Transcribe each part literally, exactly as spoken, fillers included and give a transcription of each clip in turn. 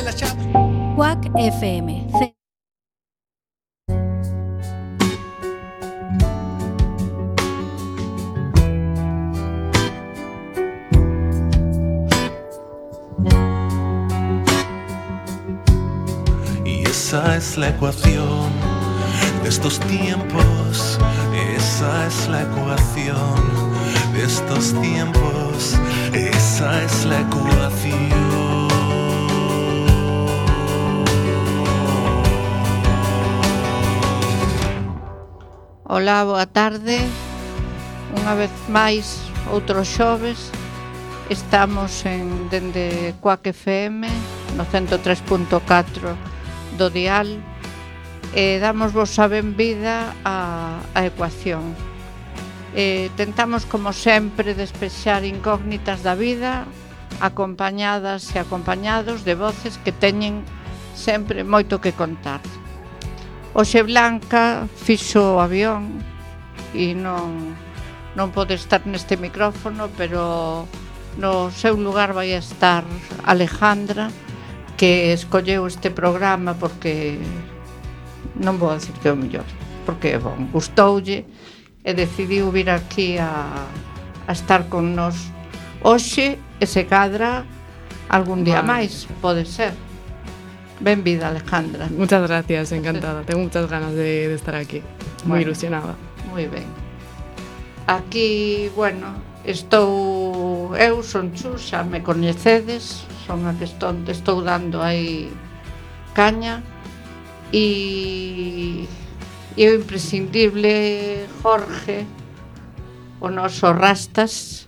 las chaves. Quack F M. Y esa es la ecuación de estos tiempos, esa es la ecuación de estos tiempos, esa es la ecuación. Ola, boa tarde. Unha vez máis, outro xoves. Estamos en dende Quack F M no ciento tres punto catro do dial e damosvos a benvida a, a ecuación. E tentamos, como sempre, despexar incógnitas da vida, acompañadas e acompañados de voces que teñen sempre moito que contar. Hoxe Blanca fixo o avión e non, non pode estar neste micrófono, pero no seu lugar vai estar Alejandra, que escolleu este programa porque non vou dicir que é o mellor, porque, bon, gustoulle e decidiu vir aquí a, a estar con nós hoxe e se cadra algún día vale. máis, pode ser. Benvida, Alejandra. Muchas gracias, encantada. Tengo muchas ganas de, de estar aquí. Muy bueno, ilusionada. Moi ben. Aquí, bueno, estou eu, son Chu, xa me coñecedes, son a que estou, estou dando aí caña e, e o imprescindible Jorge, o noso Rastas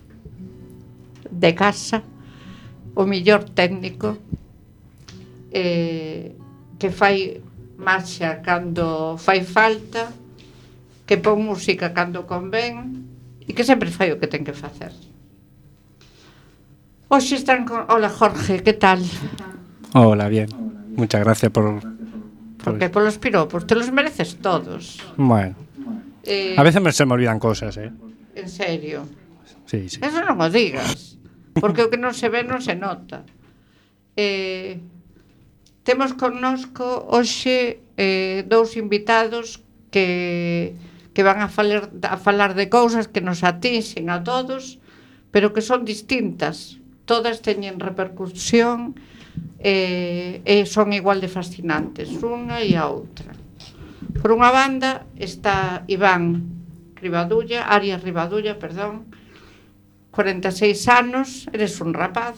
de casa, o millor técnico, eh, que fai marcha cando fai falta, que pon música cando convén e que sempre fai o que ten que facer. Hoxe están con... Hola, Jorge, que tal? Hola, bien. Muchas gracias por... por... Porque polos piropos, te los mereces todos. Bueno. Eh... A veces me se me olvidan cosas, ¿eh? En serio? Sí, sí. Eso non o digas, porque o que non se ve non se nota. Eh... Temos connosco hoxe eh, dous invitados que, que van a falar, a falar de cousas que nos atinxen a todos, pero que son distintas. Todas teñen repercusión eh, e son igual de fascinantes, unha e a outra. Por unha banda está Iván Rivadulla, Arias Rivadulla, perdón, cuarenta e seis anos, eres un rapaz,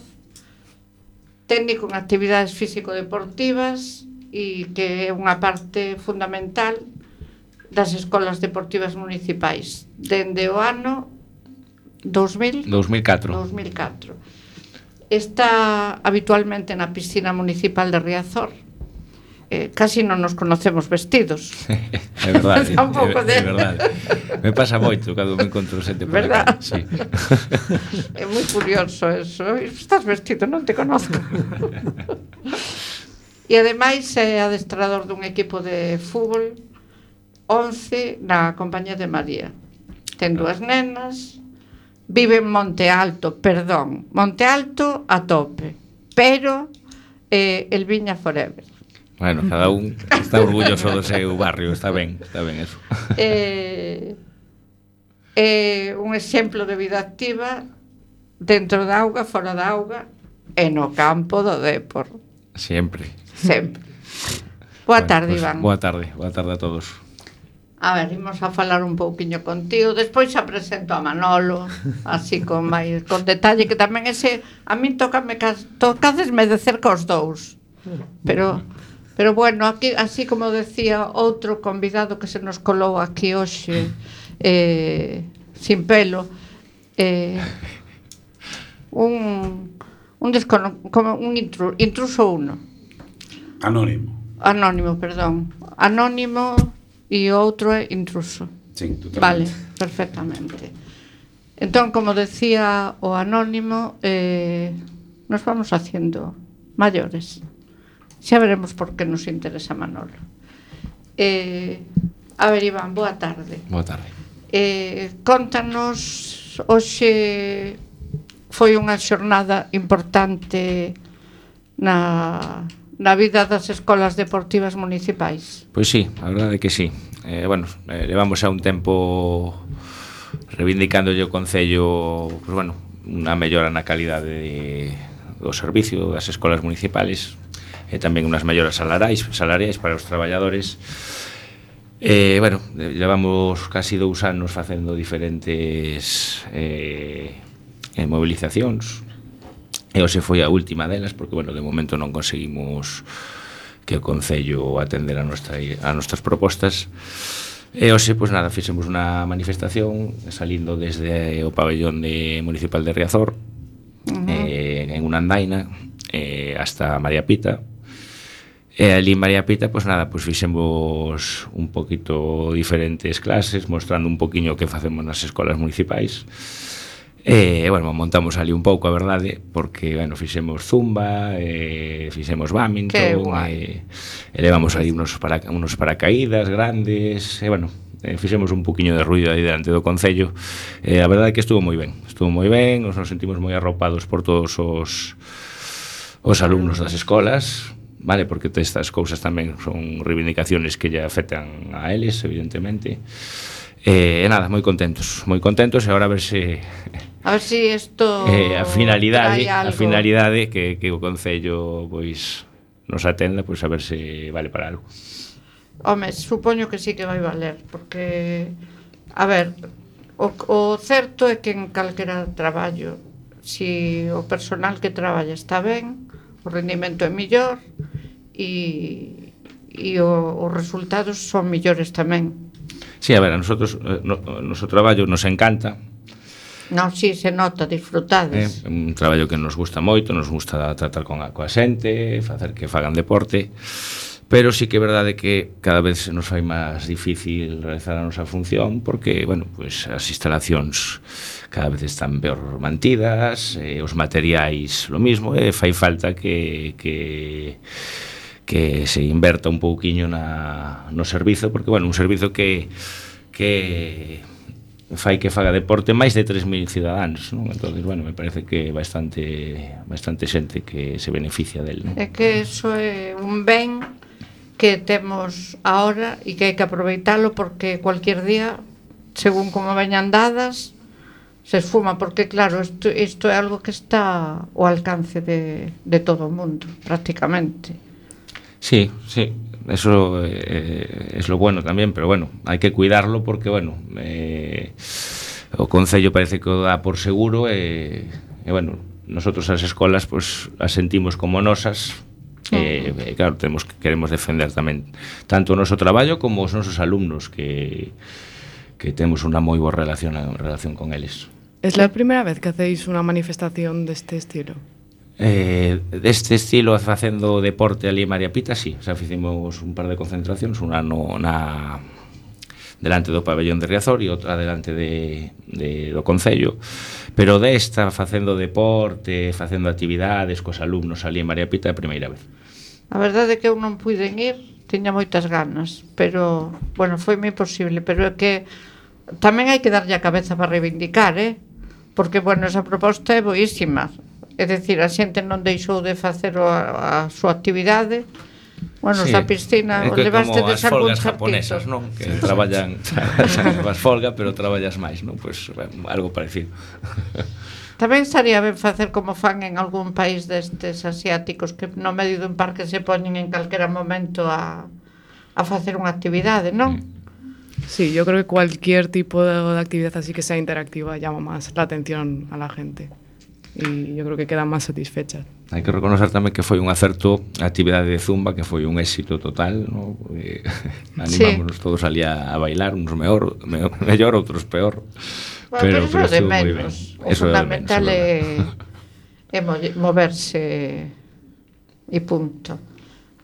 técnico en actividades físico-deportivas e que é unha parte fundamental das escolas deportivas municipais dende o ano dos mil dos mil catro. dos mil catro. Está habitualmente na piscina municipal de Riazor. Eh, casi non nos conocemos vestidos. É verdade, é, de... é verdade. Me pasa moito cando me encontro xente por verdad? aquí. Sí. É moi curioso eso. Estás vestido, non te conozco. E ademais é adestrador dun equipo de fútbol once na compañía de María. Ten dúas nenas, vive en Monte Alto, perdón, Monte Alto a tope, pero eh, el Viña forever. Bueno, cada un está orgulloso do seu barrio, está ben, está ben eso. Eh, eh, un exemplo de vida activa dentro da auga, fora da auga e no campo do depor. Sempre. Sempre. Boa bueno, tarde, pues, Iván. Boa tarde, boa tarde a todos. A ver, imos a falar un pouquiño contigo. Despois xa presento a Manolo, así con máis con detalle, que tamén ese a min tócame tocadesme de cerca os dous. Pero Pero bueno, aquí, así como decía outro convidado que se nos colou aquí hoxe, eh, sin pelo, eh, un un descono, como un intru, intruso uno. Anónimo. Anónimo, perdón. Anónimo e outro é intruso. Sí, totalmente. Vale, perfectamente. Entón, como decía o anónimo, eh, nos vamos haciendo maiores. Xa veremos por que nos interesa Manolo. Eh, a ver, Iván, boa tarde. Boa tarde. Eh, contanos, hoxe foi unha xornada importante na, na vida das escolas deportivas municipais? Pois sí, a verdade é que sí. Eh, bueno, eh, levamos xa un tempo reivindicándolle o Concello, pues bueno, unha mellora na calidade de, do servicio das escolas municipales e tamén unhas melloras salariais, salariais para os traballadores. Eh, bueno, levamos casi dous anos facendo diferentes eh, movilizacións e hoxe foi a última delas porque, bueno, de momento non conseguimos que o Concello atender a, nuestra, a nuestras propostas e hoxe, pois nada, fixemos unha manifestación salindo desde o pabellón de municipal de Riazor uh-huh. eh, en unha andaina eh, hasta María Pita. E ali en María Pita, pois nada, pois fixemos un poquito diferentes clases, mostrando un poquinho o que facemos nas escolas municipais. E, bueno, montamos ali un pouco, a verdade, porque, bueno, fixemos zumba, e fixemos badminton, e, e levamos aí unos, para, unos paracaídas grandes, e, bueno, e fixemos un poquinho de ruido aí delante do Concello. E a verdade é que estuvo moi ben, estuvo moi ben, nos nos sentimos moi arropados por todos os, os alumnos das escolas, vale, porque estas cousas tamén son reivindicaciones que lle afectan a eles, evidentemente. E eh, nada, moi contentos, moi contentos e agora a ver se a ver se si isto eh, a finalidade, a finalidade que, que o Concello pois nos atenda, pois a ver se vale para algo. Home, supoño que sí que vai valer, porque a ver, o, o certo é que en calquera traballo, si o personal que traballa está ben, o rendimento é mellor e, e o, os resultados son mellores tamén. Sí, a ver, a nosotros no, noso traballo nos encanta. Non, si, se nota, disfrutades. É eh, un traballo que nos gusta moito, nos gusta tratar con a, coa xente, facer que fagan deporte, pero sí que é verdade que cada vez nos fai máis difícil realizar a nosa función porque, bueno, pues as instalacións cada vez están peor mantidas, eh, os materiais lo mismo, e eh, fai falta que, que, que se inverta un pouquiño na, no servizo, porque, bueno, un servizo que, que fai que faga deporte máis de tres mil cidadáns, non? Entonces, bueno, me parece que bastante, bastante xente que se beneficia del, non? É que eso é un ben que temos ahora e que hai que aproveitalo porque cualquier día, según como veñan dadas, se esfuma, porque claro, isto, isto é algo que está ao alcance de, de todo o mundo, prácticamente. Sí, sí, eso eh, es lo bueno tamén, pero bueno, hai que cuidarlo porque, bueno, eh, o Concello parece que o dá por seguro e, e bueno, nosotros as escolas pues, as sentimos como nosas. E, eh, claro, temos que queremos defender tamén tanto o noso traballo como os nosos alumnos que, que temos unha moi boa relación, relación con eles. Es la primeira vez que hacéis unha manifestación deste estilo? Eh, deste estilo, facendo deporte ali en María Pita, sí, o sea, fizemos un par de concentracións, unha no, na delante do pabellón de Riazor e outra delante de, de, do Concello, pero desta facendo deporte, facendo actividades cos alumnos ali en María Pita a primeira vez. A verdade é que eu non puiden ir, tiña moitas ganas, pero, bueno, foi moi posible, pero é que tamén hai que darlle a cabeza para reivindicar, eh? Porque, bueno, esa proposta é boísima, é dicir, a xente non deixou de facer a, a súa actividade. Bueno, sí, esa piscina é que levaste de as folgas japonesas, non? Que sí, traballan, as folga, pero traballas máis, non? Pois pues, bueno, algo parecido. Tamén estaría ben facer como fan en algún país destes asiáticos que no medio dun parque se poñen en calquera momento a, a facer unha actividade, non? Sí, yo creo que cualquier tipo de actividad así que sea interactiva llama más la atención a la gente. Y yo creo que quedan máis satisfechas. Hai que reconocer tamén que foi un acerto a actividade de Zumba, que foi un éxito total, ¿no? Porque animámonos sí. todos ali a, a bailar, uns mellor, mellor, outros peor. Bueno, pero, pero, pero eso de menos. O eso fundamental é, é moverse e punto.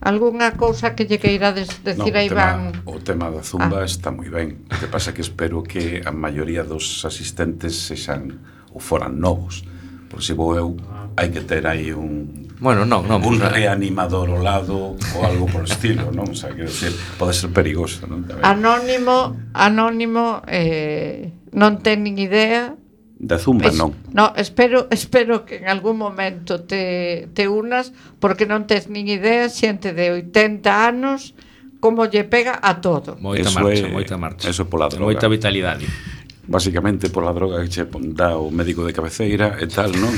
Algúnha cousa que lle queirades decir no, a Iván? O tema da Zumba ah. está moi ben. O que pasa que espero que a maioría dos asistentes sexan ou foran novos. Por se vou eu, hai que ter aí un bueno, non, non, un reanimador ao lado ou algo por estilo, non? O sea, quero decir, pode ser perigoso, non? Anónimo, anónimo, eh, non ten nin idea Da zumba Es, non. No, espero, espero que en algún momento te, te unas, porque non tes nin idea, xente de oitenta anos, como lle pega a todo. Moita Eso marcha, é- moita marcha. eso pola droga. Moita vitalidade. Básicamente pola droga que che dá o médico de cabeceira e tal, non?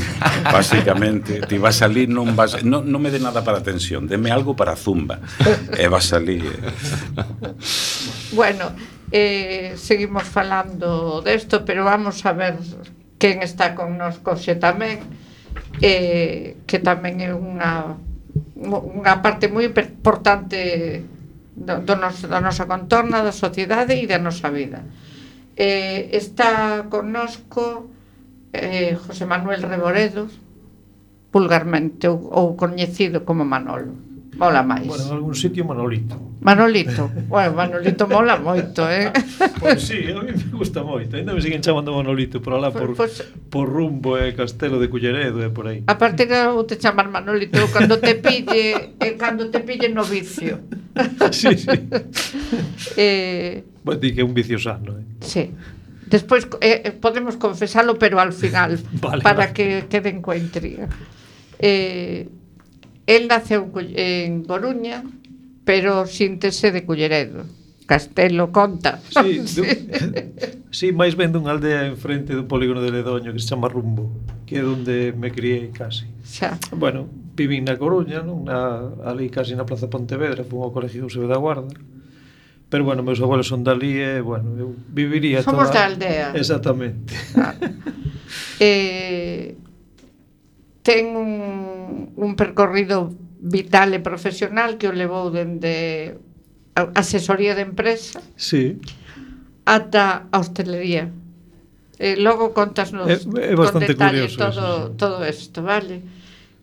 Básicamente, ti vas ali, non vas, non, non me dé nada para tensión, deme algo para zumba. E vas ali. Eh. Bueno, eh, seguimos falando desto, pero vamos a ver quen está con nos coxe tamén, eh, que tamén é unha unha parte moi importante do, do nos, da nosa contorna, da sociedade e da nosa vida. Eh, está connosco eh, José Manuel Reboredo, vulgarmente ou, ou coñecido como Manolo. Mola máis. Bueno, en algún sitio Manolito. Manolito, bueno, Manolito mola moito, eh? Pois sí, a mí me gusta moito. Ainda me siguen chamando Manolito por alá, por, Pois- por Rumbo e Castelo de Culleredo e por aí. A partir de agora vou te chamar Manolito cando te pille, eh, cando te pille no vicio. Sí, sí. eh, Bueno, di que é un vicio sano, eh? sí. Despois eh, podemos confesalo, pero al final, Vale, para vale. que queden coa intriga. Eh, el naceu en Cull- en Coruña, pero síntese de Culleredo. Castelo conta. Sí, du, sí, máis ben dunha aldea enfrente do polígono de Ledoño que se chama Rumbo, que é onde me criei casi. Xa. Bueno, vivín na Coruña, non? Na, ali casi na Plaza Pontevedra, fui ao colegio Eusebio da Guarda. Pero bueno, meus abuelos son dali e, bueno, eu viviría Somos toda... da aldea. Exactamente. Ah. eh, ten un, un percorrido vital e profesional que o levou dende a asesoría de empresa Sí. ata a hostelería. Eh, logo contasnos É- é bastante con detalle curioso todo, eso, sí. todo isto, vale?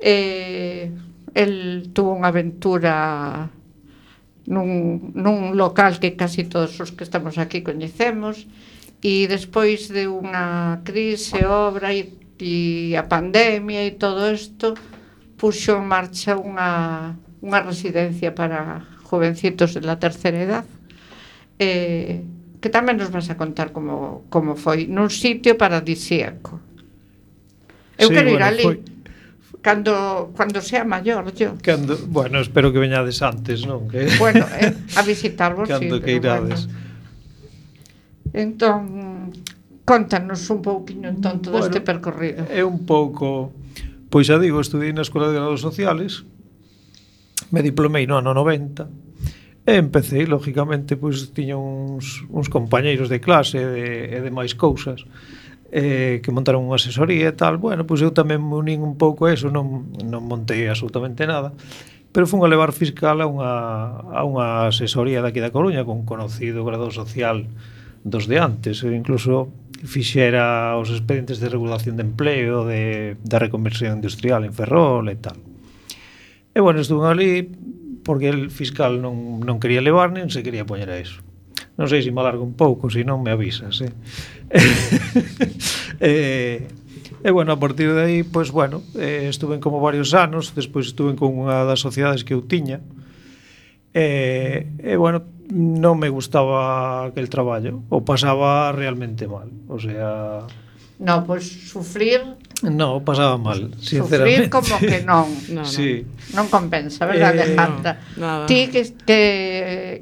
Eh, el tuvo unha aventura nun, nun local que casi todos os que estamos aquí coñecemos, e despois de unha crise, obra e, e a pandemia e todo isto, puxo en marcha unha, unha residencia para jovencitos de la terceira edad, eh, que tamén nos vas a contar como, como foi nun sitio paradisíaco. Eu Sí, quero ir bueno, ali foi- cando, cando sea maior, yo. Cando, bueno, espero que veñades antes, non? Que... Bueno, eh, a visitarvos, Cando sí, que pero irades. bueno. Entón, contanos un pouquiño entón todo Bueno, este percorrido. É un pouco... Pois xa digo, estudei na Escola de Grados Sociales, me diplomei no ano noventa, e empecé, lógicamente, pois tiña uns, uns compañeiros de clase e de, e de máis cousas, eh, que montaron unha asesoría e tal. Bueno, pois eu tamén me unín un pouco a eso, non, non montei absolutamente nada, pero fun a levar fiscal a unha, a unha asesoría daqui da Coruña con conocido grado social dos de antes, e incluso fixera os expedientes de regulación de empleo de, da reconversión industrial en Ferrol e tal. E bueno, estuve ali porque el fiscal non, non quería levar nen se quería poñer a eso. Non sei se me alargo un pouco, se non me avisas, eh? e, e bueno, a partir de aí, pois bueno, eh, estuve como varios anos, despois estuve con unha das sociedades que eu tiña, e, e bueno, non me gustaba aquel traballo, o pasaba realmente mal, o sea... No, pois sufrir, No, pasaba mal, sufrir sinceramente. como que non. No, no. Sí. Non compensa, verdad, Eh, Alejandra? no, nada. Ti que, que,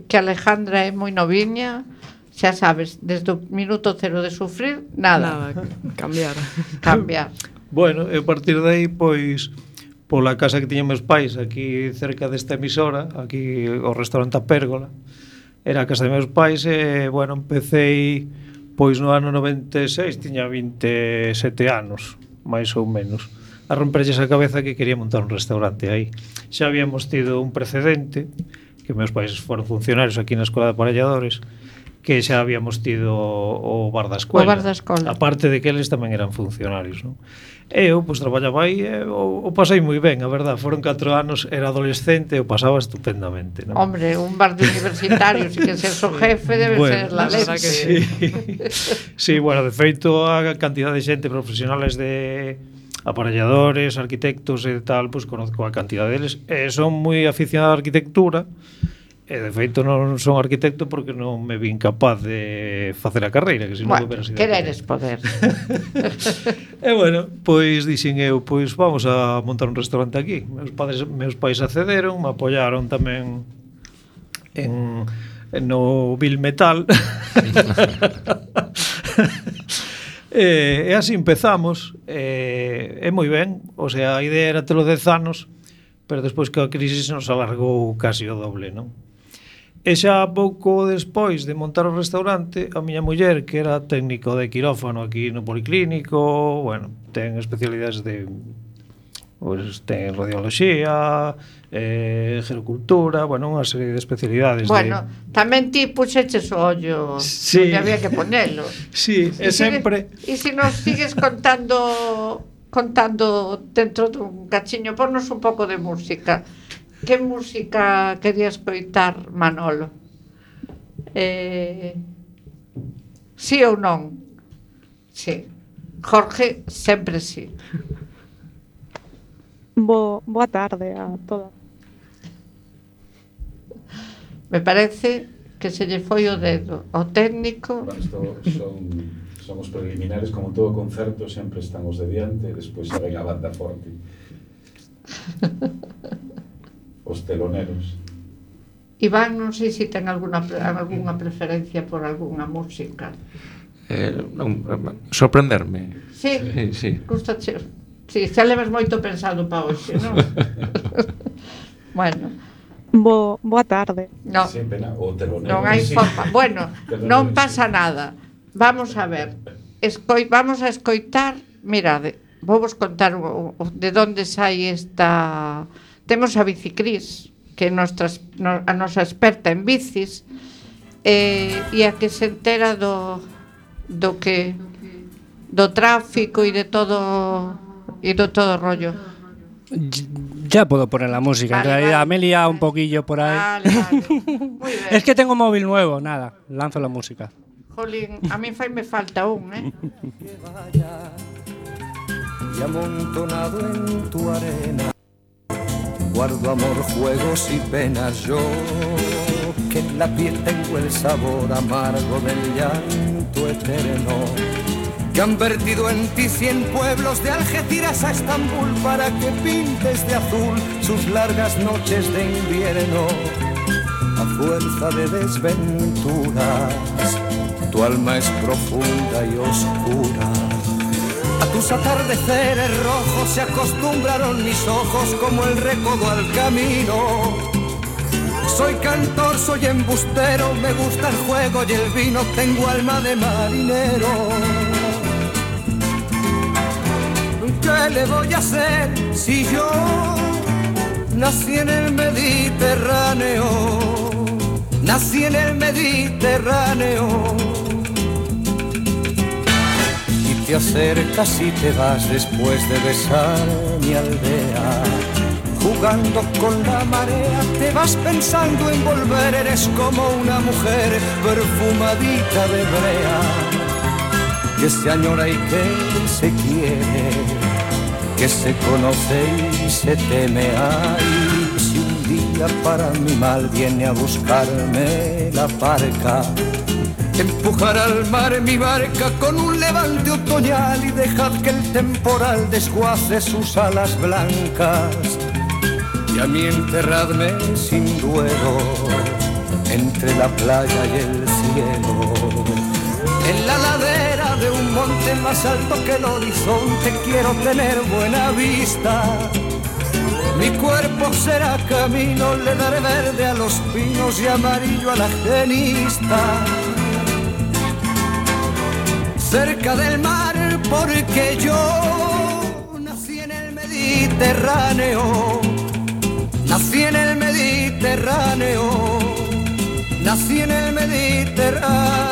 que Alejandra é moi noviña, xa sabes, desde o minuto cero de sufrir, nada, Nada, cambiar. cambiar. Bueno, e a partir de aí, pois, pola casa que tiñan meus pais, aquí cerca desta emisora, aquí o restaurante A Pérgola, era a casa de meus pais, e, bueno, empecéi, pois, no ano noventa e seis, tiña vinte e sete anos, máis ou menos, a romperlles a cabeza que quería montar un restaurante aí. Xa habíamos tido un precedente, que meus pais foron funcionarios aquí na Escola de Aparelladores, que xa habíamos tido o bar da escola. O bar da escola. Aparte de que eles tamén eran funcionarios, non? E eu, pois, traballaba aí e o, o pasei moi ben, a verdad. Foron catro anos, era adolescente e o pasaba estupendamente, non? Hombre, un bar de universitarios e que ser o jefe debe Bueno, ser la la verdad leche. que Sí. Sí, bueno, de feito, a cantidad de xente profesionales de aparelladores, arquitectos e tal, pois conozco a cantidad deles, e son moi aficionados á arquitectura, E de feito non son arquitecto porque non me vin capaz de facer a carreira, que senón bueno, hubiera sido quereres poder. E bueno, pois dixen eu, pois vamos a montar un restaurante aquí. Meus padres, meus pais accederon, me apoiaron tamén en, en no Bill Metal. e, e así empezamos. E, e moi ben, o sea, a idea era telo dez anos, pero despois que a crisis nos alargou casi o doble, non? E xa pouco despois de montar o restaurante, a miña muller, que era técnico de quirófano aquí no Policlínico, bueno, ten especialidades de, pues, ten radioloxía, eh, gerocultura, bueno, unha serie de especialidades. Bueno, de... tamén ti puxeches o ollo, sí. que había que ponelo. Sí, e sempre... E se nos sigues contando contando dentro dun cachiño, ponnos un pouco de música. Que música querías coitar, Manolo? Eh, sí ou non? Sí. Jorge, sempre sí. Bo, boa tarde a todas. Me parece que se lle foi o dedo ao técnico. Bueno, isto son, son os preliminares, como todo concerto, sempre están os de diante, e despois xa ven a banda forte. Os teloneros. Iván, non sei se ten alguna, alguna preferencia por algunha música. Eh, non, sorprenderme. Sí, sí, sí. Gustache. Sí, xa levas moito pensado para hoxe, non? Bueno. Bo, boa tarde. No, sí, pena, o telonero, non hai sí. forma. Bueno, non pasa nada. Vamos a ver. Escoi, vamos a escoitar. Mirade, vou vos contar o, o, de onde sai esta... Temos a Bicicris, que é nostra, no, a nosa experta en bicis, eh, e a que se entera do, do que do tráfico e de todo e do todo rollo. Ya puedo poner la música, vale, en realidad vale. me he liado un poquillo por ahí. Vale, vale. Muy bien. Es que tengo móvil nuevo, nada, lanzo la música. Jolín, a mí fai me falta un, eh. Que vaya y amontonado en tu arena guardo amor, juegos y penas yo, que en la piel tengo el sabor amargo del llanto eterno, que han vertido en ti cien pueblos de Algeciras a Estambul para que pintes de azul sus largas noches de invierno. A fuerza de desventuras, tu alma es profunda y oscura. A tus atardeceres rojos se acostumbraron mis ojos como el recodo al camino. Soy cantor, soy embustero, me gusta el juego y el vino, tengo alma de marinero. ¿Qué le voy a hacer si yo nací en el Mediterráneo? Nací en el Mediterráneo. Te acercas y te vas después de besar mi aldea. Jugando con la marea te vas pensando en volver. Eres como una mujer perfumadita de brea, que se añora y que se quiere, que se conoce y se teme. Ay, si un día para mi mal viene a buscarme la barca, empujar al mar mi barca con un levante otoñal y dejad que el temporal desguace sus alas blancas. Y a mí enterradme sin duelo entre la playa y el cielo, en la ladera de un monte más alto que el horizonte. Quiero tener buena vista, mi cuerpo será camino, le daré verde a los pinos y amarillo a la genista. Cerca del mar porque yo nací en el Mediterráneo, nací en el Mediterráneo, nací en el Mediterráneo.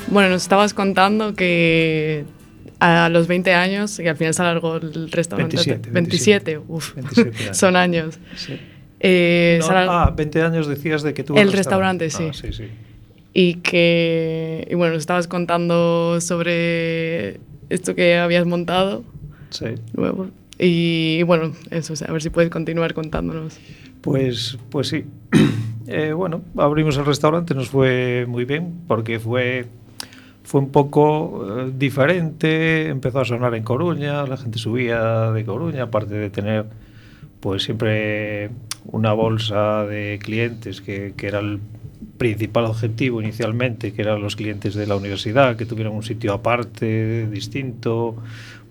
Bueno, nos estabas contando que a los veinte años, y al final se alargó el restaurante. veintisiete, veintisiete, uff, veintisiete años. Son años. Sí. Eh, no, sala... Ah, veinte años decías de que tuvo el restaurante, restaurante. sí. Ah, sí, sí. Y que, y bueno, estabas contando sobre esto que habías montado. Sí. Nuevo. Y, y bueno, eso, o sea, a ver si puedes continuar contándonos. Pues, pues sí. eh, bueno, abrimos el restaurante, nos fue muy bien, porque fue, fue un poco eh, diferente. Empezó a sonar en Coruña, la gente subía de Coruña, aparte de tener pues siempre una bolsa de clientes que, que era el principal objetivo inicialmente, que eran los clientes de la universidad, que tuvieran un sitio aparte, distinto,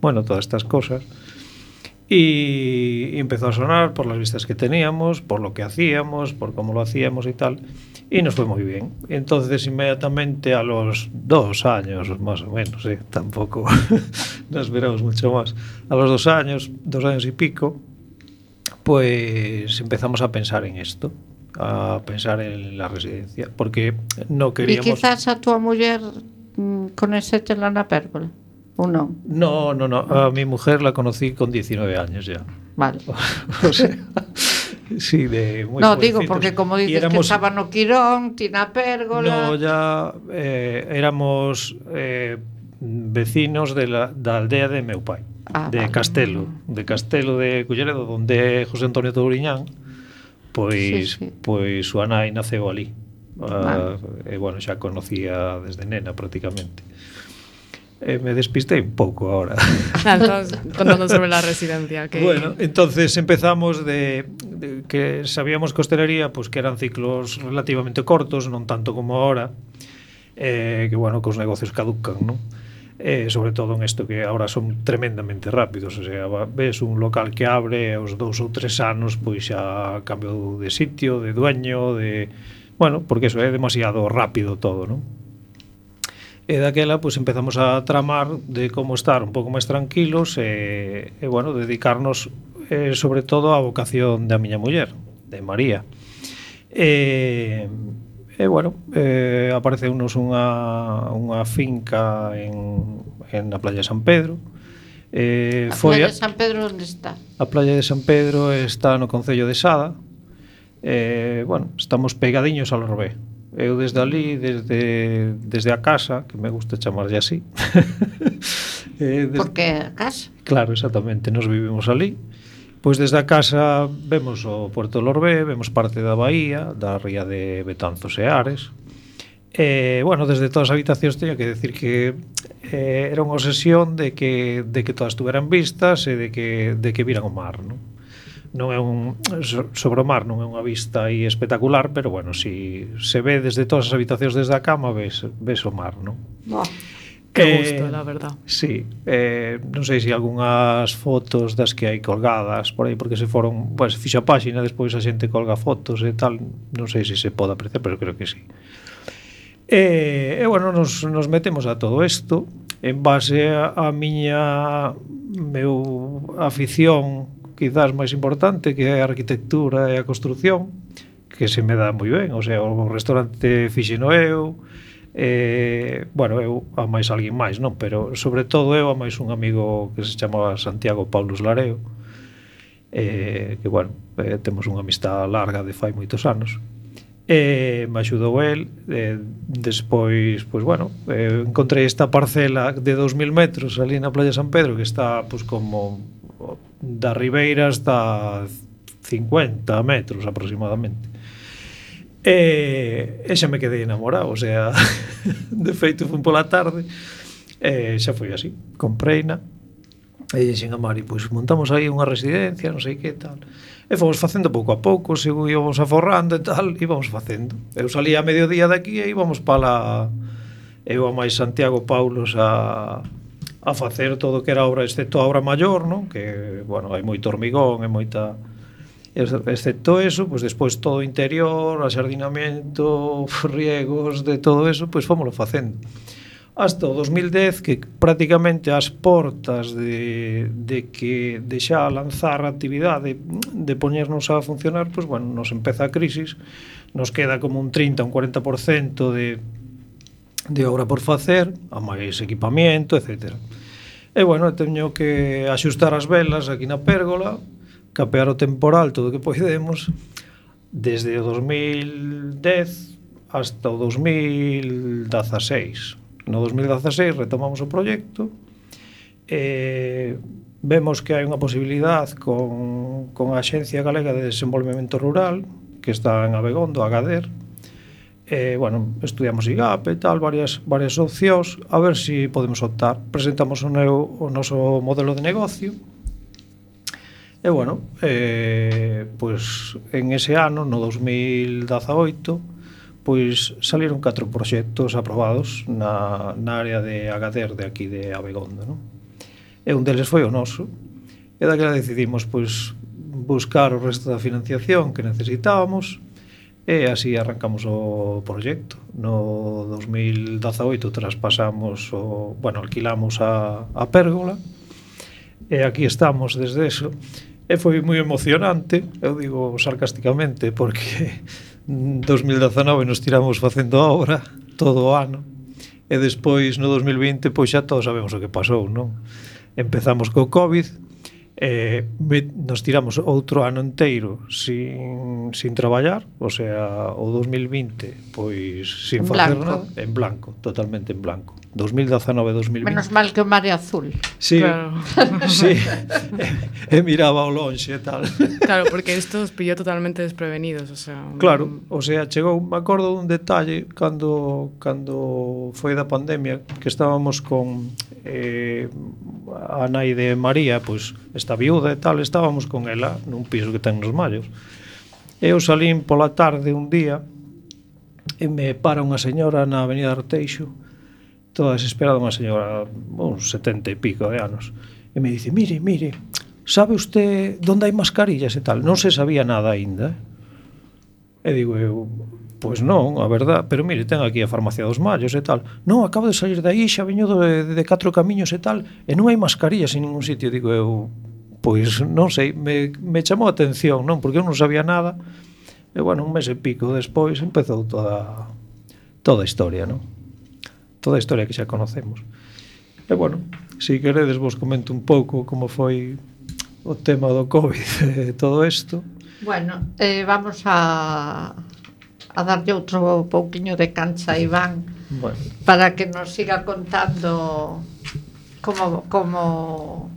bueno, todas estas cosas. Y, y empezó a sonar por las vistas que teníamos, por lo que hacíamos, por cómo lo hacíamos y tal, y nos fue muy bien. Entonces, inmediatamente a los dos años, más o menos, ¿eh? Tampoco nos esperamos mucho más, a los dos años, dos años y pico, pues empezamos a pensar en esto, a pensar en la residencia, porque no queríamos... E quizás a tua muller conocerla na pérgola, ou non? No, no, no, a mi mujer la conocí con diecinueve años ya. Vale. O sea, sí, de muy No, digo, jovencitos. porque como dices éramos, que estaba no Quirón, ti na pérgola... No, ya eh, éramos eh, vecinos de la, da aldea de meu pai. Ah, de vale. Castelo, de Castelo de Culleredo, donde José Antonio Touriñán, pois, Sí, sí. pois súa nai naceu ali. Vale. Uh, e bueno, xa conocía desde nena prácticamente. Eh, me despistei un pouco ahora. Ah, estabas contando sobre la residencia. Que... Bueno, entonces empezamos de, de que sabíamos que hostelería, pues que eran ciclos relativamente cortos, non tanto como ahora, eh, que bueno, que os negocios caducan, non? Eh, sobre todo en isto que ahora son tremendamente rápidos, o sea, ves un local que abre aos dous ou tres anos, pois xa cambio de sitio, de dueño, de... Bueno, porque eso é demasiado rápido todo, non? E daquela, pois empezamos a tramar de como estar un pouco máis tranquilos e, e bueno, dedicarnos eh, sobre todo á vocación da miña muller, de María. E... E, bueno, eh, apareceunos unha, unha finca en, en na playa de San Pedro. Eh, A foi playa de San Pedro onde está? A playa de San Pedro está no concello de Sada. Eh, bueno, estamos pegadiños ao Lorbé. Eu desde ali, desde, desde a casa, que me gusta chamarlle así. eh, des... Porque a casa? Claro, exactamente, nos vivimos ali. Pois desde a casa vemos o Puerto de Lorbé, vemos parte da bahía, da ría de Betanzos e Ares. E, bueno, desde todas as habitacións teño que decir que eh, era unha obsesión de que, de que todas tuveran vistas e de que, de que viran o mar, non? Non é un... sobre o mar non é unha vista aí espectacular, pero, bueno, si se ve desde todas as habitacións desde a cama, ves, ves o mar, non? Oh. Que gusto, eh, la verdad. Sí, eh, non sei se algunhas fotos das que hai colgadas por aí, porque se foron, pues, fixo a páxina, despois a xente colga fotos e tal, non sei se se pode apreciar, pero creo que sí. E, e bueno, nos, nos metemos a todo isto en base a, a miña meu afición quizás máis importante, que é a arquitectura e a construción, que se me dá moi ben, o sea, o restaurante fixeno eu. Eh, bueno, eu a máis alguén máis, non? Pero sobre todo eu a máis un amigo que se chamaba Santiago Paulus Lareo, eh, que bueno, eh, temos unha amistad larga de fai moitos anos. Eh, me axudou el, eh, despois, pois bueno, eh, encontrei esta parcela de dos mil metros ali na playa de San Pedro, que está pois como da ribeira hasta cincuenta metros aproximadamente. E, e xa me quedei enamorado, o sea, de feito fui pola tarde e xa foi así, compreina e dixen a Mari, pois montamos aí unha residencia, non sei que tal, e fomos facendo pouco a pouco, se íbamos aforrando e tal, íbamos facendo. Eu salía a mediodía daqui e íbamos para eu a máis Santiago Paulos a, a facer todo o que era obra, excepto a obra maior, non? Que, bueno, hai moito hormigón e moita... excepto eso, pues despois todo o interior, axardinamento, riegos, de todo eso, pois pues fómolo facendo hasta o dos mil dez, que prácticamente as portas de, de que de xa lanzar a actividade, de poñernos a funcionar, pois pues bueno, nos empeza a crisis, nos queda como un trinta, un cuarenta por cento de, de obra por facer, a máis equipamiento, etcétera. E bueno, teño que axustar as velas aquí na pérgola, capear o temporal todo o que podemos desde o dos mil dez hasta o dos mil dezaseis. No dos mil dezaseis retomamos o proxecto e vemos que hai unha posibilidade con, con a Axencia Galega de Desenvolvemento Rural que está en Abegondo, Agadir. Eh, bueno, estudiamos I G A P e tal, varias, varias opcións, a ver se si podemos optar. Presentamos o, neo, o noso modelo de negocio e, bueno, eh, pois en ese ano, no dos mil dezaoito, pois saliron catro proxectos aprobados na, na área de Agadir de aquí de Abegondo, non? E un deles foi o noso, e daquela decidimos pois buscar o resto da financiación que necesitábamos. E así arrancamos o proxecto. No dos mil dezaoito traspasamos o, bueno, alquilamos a, a Pérgola e aquí estamos desde eso. E foi moi emocionante, eu digo sarcásticamente, porque en dos mil dezenove nos tiramos facendo a obra todo o ano e despois no dos mil vinte pois xa todos sabemos o que pasou, non? Empezamos co COVID. Eh, nos tiramos outro ano inteiro sin, sin traballar, o sea, o dos mil vinte pois sin en facer blanco. nada, en blanco, totalmente en blanco. dos mil dezenove dos mil vinte. Menos mal que o mar é azul. Sí, Claro. sí. E, e miraba ao lonxe e tal. Claro, porque isto os pilló totalmente desprevenidos, o sea... Claro, o sea, chegou, me acordo dun detalle cando cando foi da pandemia, que estábamos con eh, a nai de María, pois está viuda e tal, estábamos con ela nun piso que ten nos Mallos. E eu salín pola tarde un día e me para unha señora na avenida Arteixo, toda desesperada, unha señora uns setenta e pico de anos, e me dice, mire, mire, sabe usted onde hai mascarillas e tal? Non se sabía nada aínda. E digo eu, pois non, a verdad, pero mire, ten aquí a farmacia dos Mallos e tal. Non, acabo de salir de aí, xa veño de, de catro camiños e tal, e non hai mascarillas en ningún sitio. Digo eu, pois non sei, me, me chamou a atención, non? Porque eu non sabía nada. E bueno, un mes e pico despois empezou toda toda a historia, non? Toda a historia que xa conocemos. E bueno, se queredes vos comento un pouco como foi o tema do COVID e todo isto. Bueno, eh, vamos a a darlle outro pouquiño de cancha a Iván, bueno, para que nos siga contando como como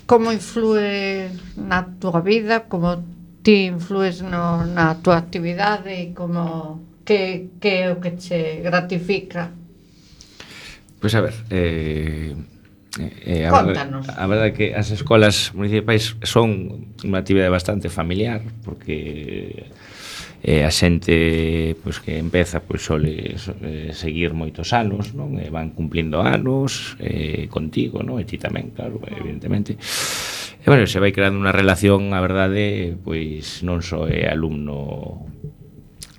como influe na túa vida, como ti influes no, na túa actividade e como que, que é o que che gratifica. Pois a ver, eh, eh, a, Contanos. verdade, a verdade é que as escolas municipais son unha actividade bastante familiar, porque eh, a xente pois, que empeza pois, sole eh, seguir moitos anos, non? E van cumplindo anos eh, contigo, non? E ti tamén, claro, evidentemente. E, bueno, se vai creando unha relación, a verdade, pois non só é alumno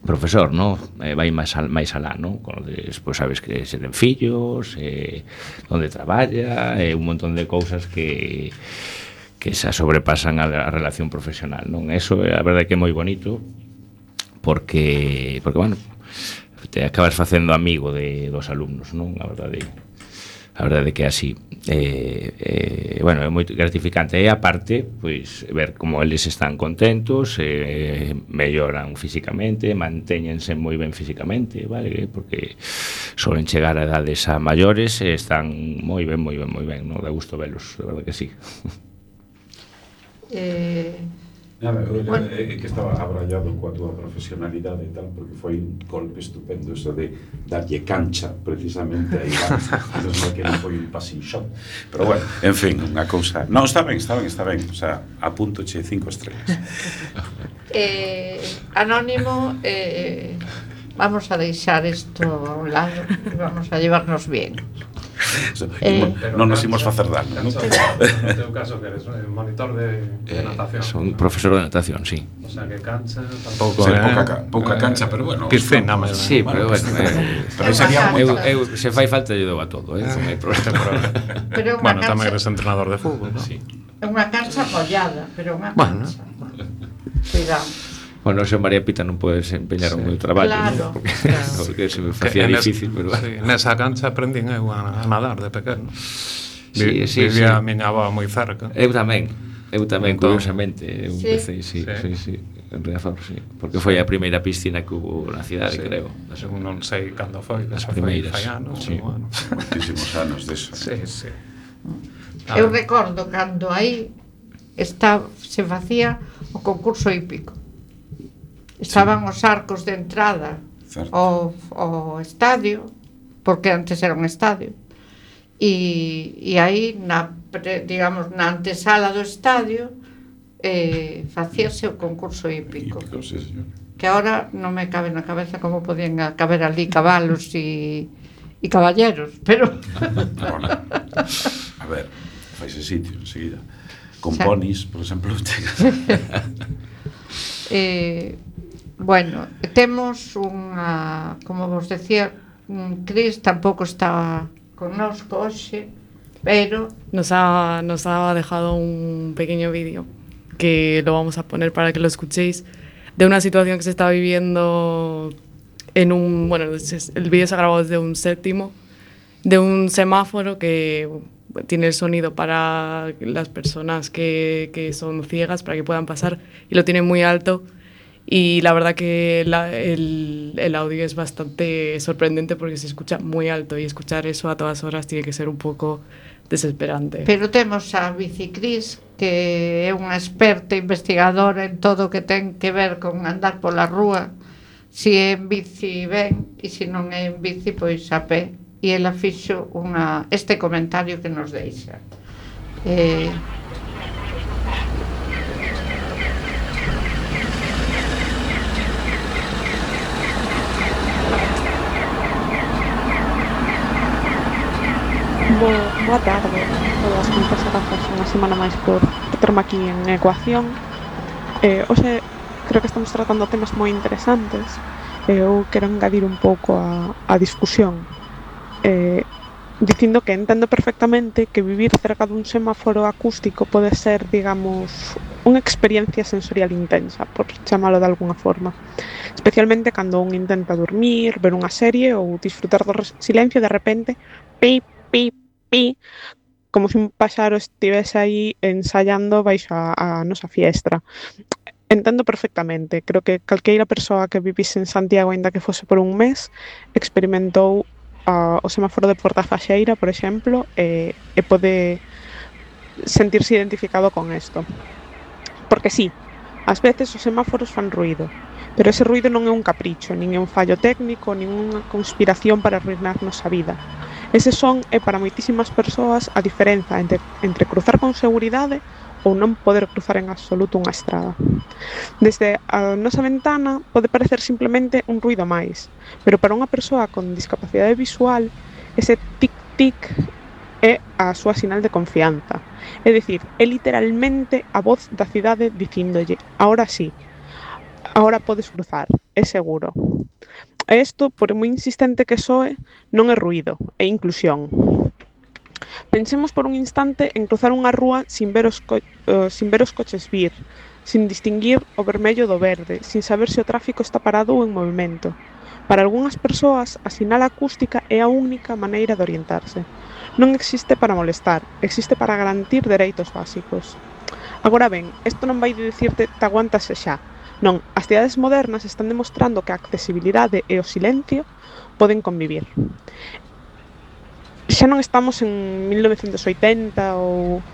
profesor, non? Eh, vai máis, al, máis alá, non? Con despois sabes que se ten fillos, eh, onde traballa, e eh, un montón de cousas que que xa sobrepasan a, a relación profesional, non? Eso, a verdade, que é moi bonito, porque, porque bueno, te acabas facendo amigo de, dos alumnos, non? A verdade, a verdade que é así. Eh, eh, bueno, é moi gratificante. E aparte, pois, ver como eles están contentos, eh, melloran físicamente, mantéñense moi ben físicamente, vale? Porque solen chegar a edades a maiores e están moi ben, moi ben, moi ben, non? Da gusto velos, de verdade que sí. Eh... Nada, eu bueno. é que estaba abrallado coa túa profesionalidade e tal, porque foi un golpe estupendo eso de darlle cancha precisamente a Iván, que non foi un passing shot, pero bueno, en fin, unha cousa, non, está ben, está ben, está ben, o sea, apúntoche cinco estrellas. eh, Anónimo, eh, vamos a deixar isto a un lado e vamos a llevarnos bien. Eh, non nos imos facer dano, non? No teu caso que eres monitor de, de natación. Eh, son profesor de natación, sí. O sea, que cancha tampouco, sí, eh? pouca, pouca cancha, pero bueno. Piscina, máis. Sí, pero bueno, eh, pero sería eu, eu se fai falta lle dou a todo, eh, non hai problema. Pero bueno, cancha, tamén eres entrenador de fútbol, ¿no? Sí. É unha cancha mollada, pero unha bueno. cancha. Cuidado. Bueno, se María Pita non pode desempeñar sí. o meu traballo, claro, ¿no? Porque, claro. porque se me facía difícil, pero sí, nesa cancha aprendín eu a, a nadar de pequeno. Sí, Vi, sí, vivía sí. a miña avó moi cerca. Eu tamén. Eu tamén, Entón, curiosamente, eu Sí. empecé, sí, Sí. sí, sí, en Riazor, sí, porque foi a primeira piscina que hubo na cidade, Sí. creo. Según non sei cando foi, que As xa foi primeiras, fai anos, sí. pero bueno. Moitísimos anos deso. Sí, sí. Eu recordo cando aí está, se facía o concurso hípico. Estaban os arcos de entrada Certo. ao, ao estadio, porque antes era un estadio, e, e aí, na, pre- digamos, na antesala do estadio, eh, facíase o concurso hípico. Hípico, sí, señor. Que ahora non me cabe na cabeza como podían caber ali cabalos e, e caballeros, pero... Bueno, a ver, faise sitio enseguida. Con Xa. ponis, por exemplo, chegas. Eh, bueno, temos unha, como vos decía, un Cris tampouco está connosco hoxe, pero Nos ha, nos ha dejado un pequeño vídeo que lo vamos a poner para que lo escuchéis, de una situación que se está viviendo en un... Bueno, es- el vídeo se ha grabado desde un séptimo, de un semáforo que tiene el sonido para las personas que, que son ciegas, para que puedan pasar, y lo tiene muy alto. Y la verdad que la- el, el audio es bastante sorprendente porque se escucha muy alto, y escuchar eso a todas horas tiene que ser un poco desesperante. pero temos a Bicicris, que é unha experta investigadora en todo o que ten que ver con andar pola rúa, si é en bici ben e se non é en bici, pois a pé, e ela fixo unha, este comentario que nos deixa. Eh, Bo, boa tarde a todas, moitas grazas unha semana máis por terme aquí en Ecuación. Eh, hoxe creo que estamos tratando temas moi interesantes e eu quero engadir un pouco a, a discusión, eh, dicindo que entendo perfectamente que vivir cerca dun semáforo acústico pode ser, digamos, unha experiencia sensorial intensa, por chamalo de alguna forma, especialmente cando un intenta dormir, ver unha serie ou disfrutar do res- silencio. De repente, pi, pi, pi, como se un paxaro estivese aí ensaiando baixo a, a nosa fiestra. Entendo perfectamente, creo que calqueira persoa que vivise en Santiago, aínda que fose por un mes, experimentou a, o semáforo de Portafaxeira, por exemplo, e, e pode sentirse identificado con isto. Porque sí, ás veces os semáforos fan ruído, pero ese ruído non é un capricho, nin é un fallo técnico, nin unha conspiración para arruinarnos a vida. Ese son é para moitísimas persoas a diferenza entre, entre cruzar con seguridade ou non poder cruzar en absoluto unha estrada. Desde a nosa ventana pode parecer simplemente un ruído máis, pero para unha persoa con discapacidade visual, ese tic-tic é a súa sinal de confianza. É dicir, é literalmente a voz da cidade dicíndolle: ahora sí, ahora podes cruzar, é seguro. E isto, por moi insistente que soe, non é ruído, é inclusión. Pensemos por un instante en cruzar unha rúa sin ver os, co uh, sin ver os coches vir, sin distinguir o vermello do verde, sin saber se o tráfico está parado ou en movimento. Para algunhas persoas, a sinal acústica é a única maneira de orientarse. Non existe para molestar, existe para garantir dereitos básicos. Agora ben, isto non vai dicirte te aguantase xa. Non, as cidades modernas están demostrando que a accesibilidade e o silencio poden convivir. Xa non estamos en mil novecentos oitenta ou,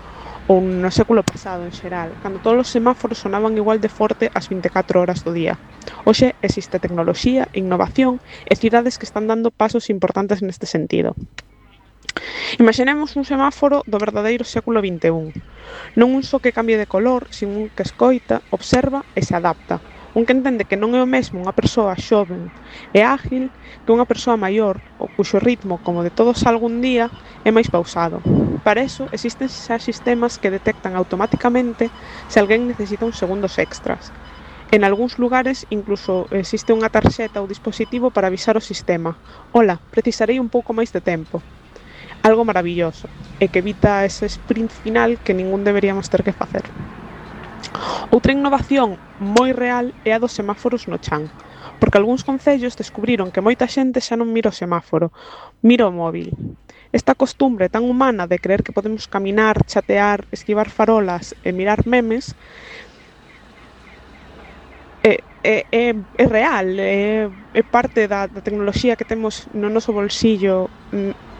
ou no século pasado en xeral, cando todos os semáforos sonaban igual de forte as vinte e catro horas do día. Hoxe existe tecnoloxía, innovación e cidades que están dando pasos importantes neste sentido. Imaginemos un semáforo do verdadeiro século vinte e un, non un só que cambie de color, sin un que escoita, observa e se adapta, un que entende que non é o mesmo unha persoa xoven e ágil que unha persoa maior, o cuxo ritmo, como de todos algún día, é máis pausado. Para eso, existen xa sistemas que detectan automáticamente se alguén necesita uns segundos extras. En algúns lugares, incluso existe unha tarxeta ou dispositivo para avisar o sistema: «Ola, precisarei un pouco máis de tempo». Algo maravilloso, e que evita ese sprint final que ningún deberíamos ter que facer. Outra innovación moi real é a dos semáforos no chan. Porque algúns concellos descubriron que moita xente xa non mira o semáforo, mira o móvil. Esta costumbre tan humana de creer que podemos caminar, chatear, esquivar farolas e mirar memes é, é, é, é real, é, é parte da, da tecnoloxía que temos no noso bolsillo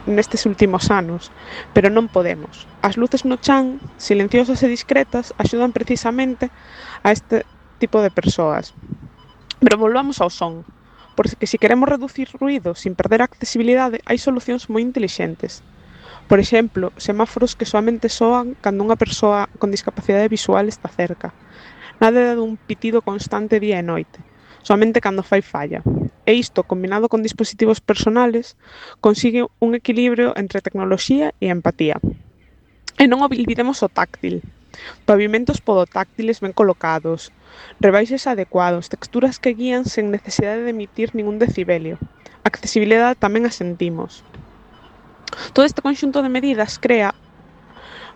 nestes últimos anos, pero non podemos. As luces no chan, silenciosas e discretas, axudan precisamente a este tipo de persoas. Pero volvamos ao son, porque se queremos reducir ruído sin perder a accesibilidade, hai solucións moi intelixentes. Por exemplo, semáforos que soamente soan cando unha persoa con discapacidade visual está cerca. Nada dun pitido constante día e noite, somente cando fai falla. E isto, combinado con dispositivos personales, consigue un equilibrio entre tecnoloxía e empatía. E non olvidemos o táctil. Pavimentos podotáctiles ben colocados, rebaixes adecuados, texturas que guían sen necesidade de emitir ningún decibelio. Accesibilidade tamén a sentimos. Todo este conxunto de medidas crea,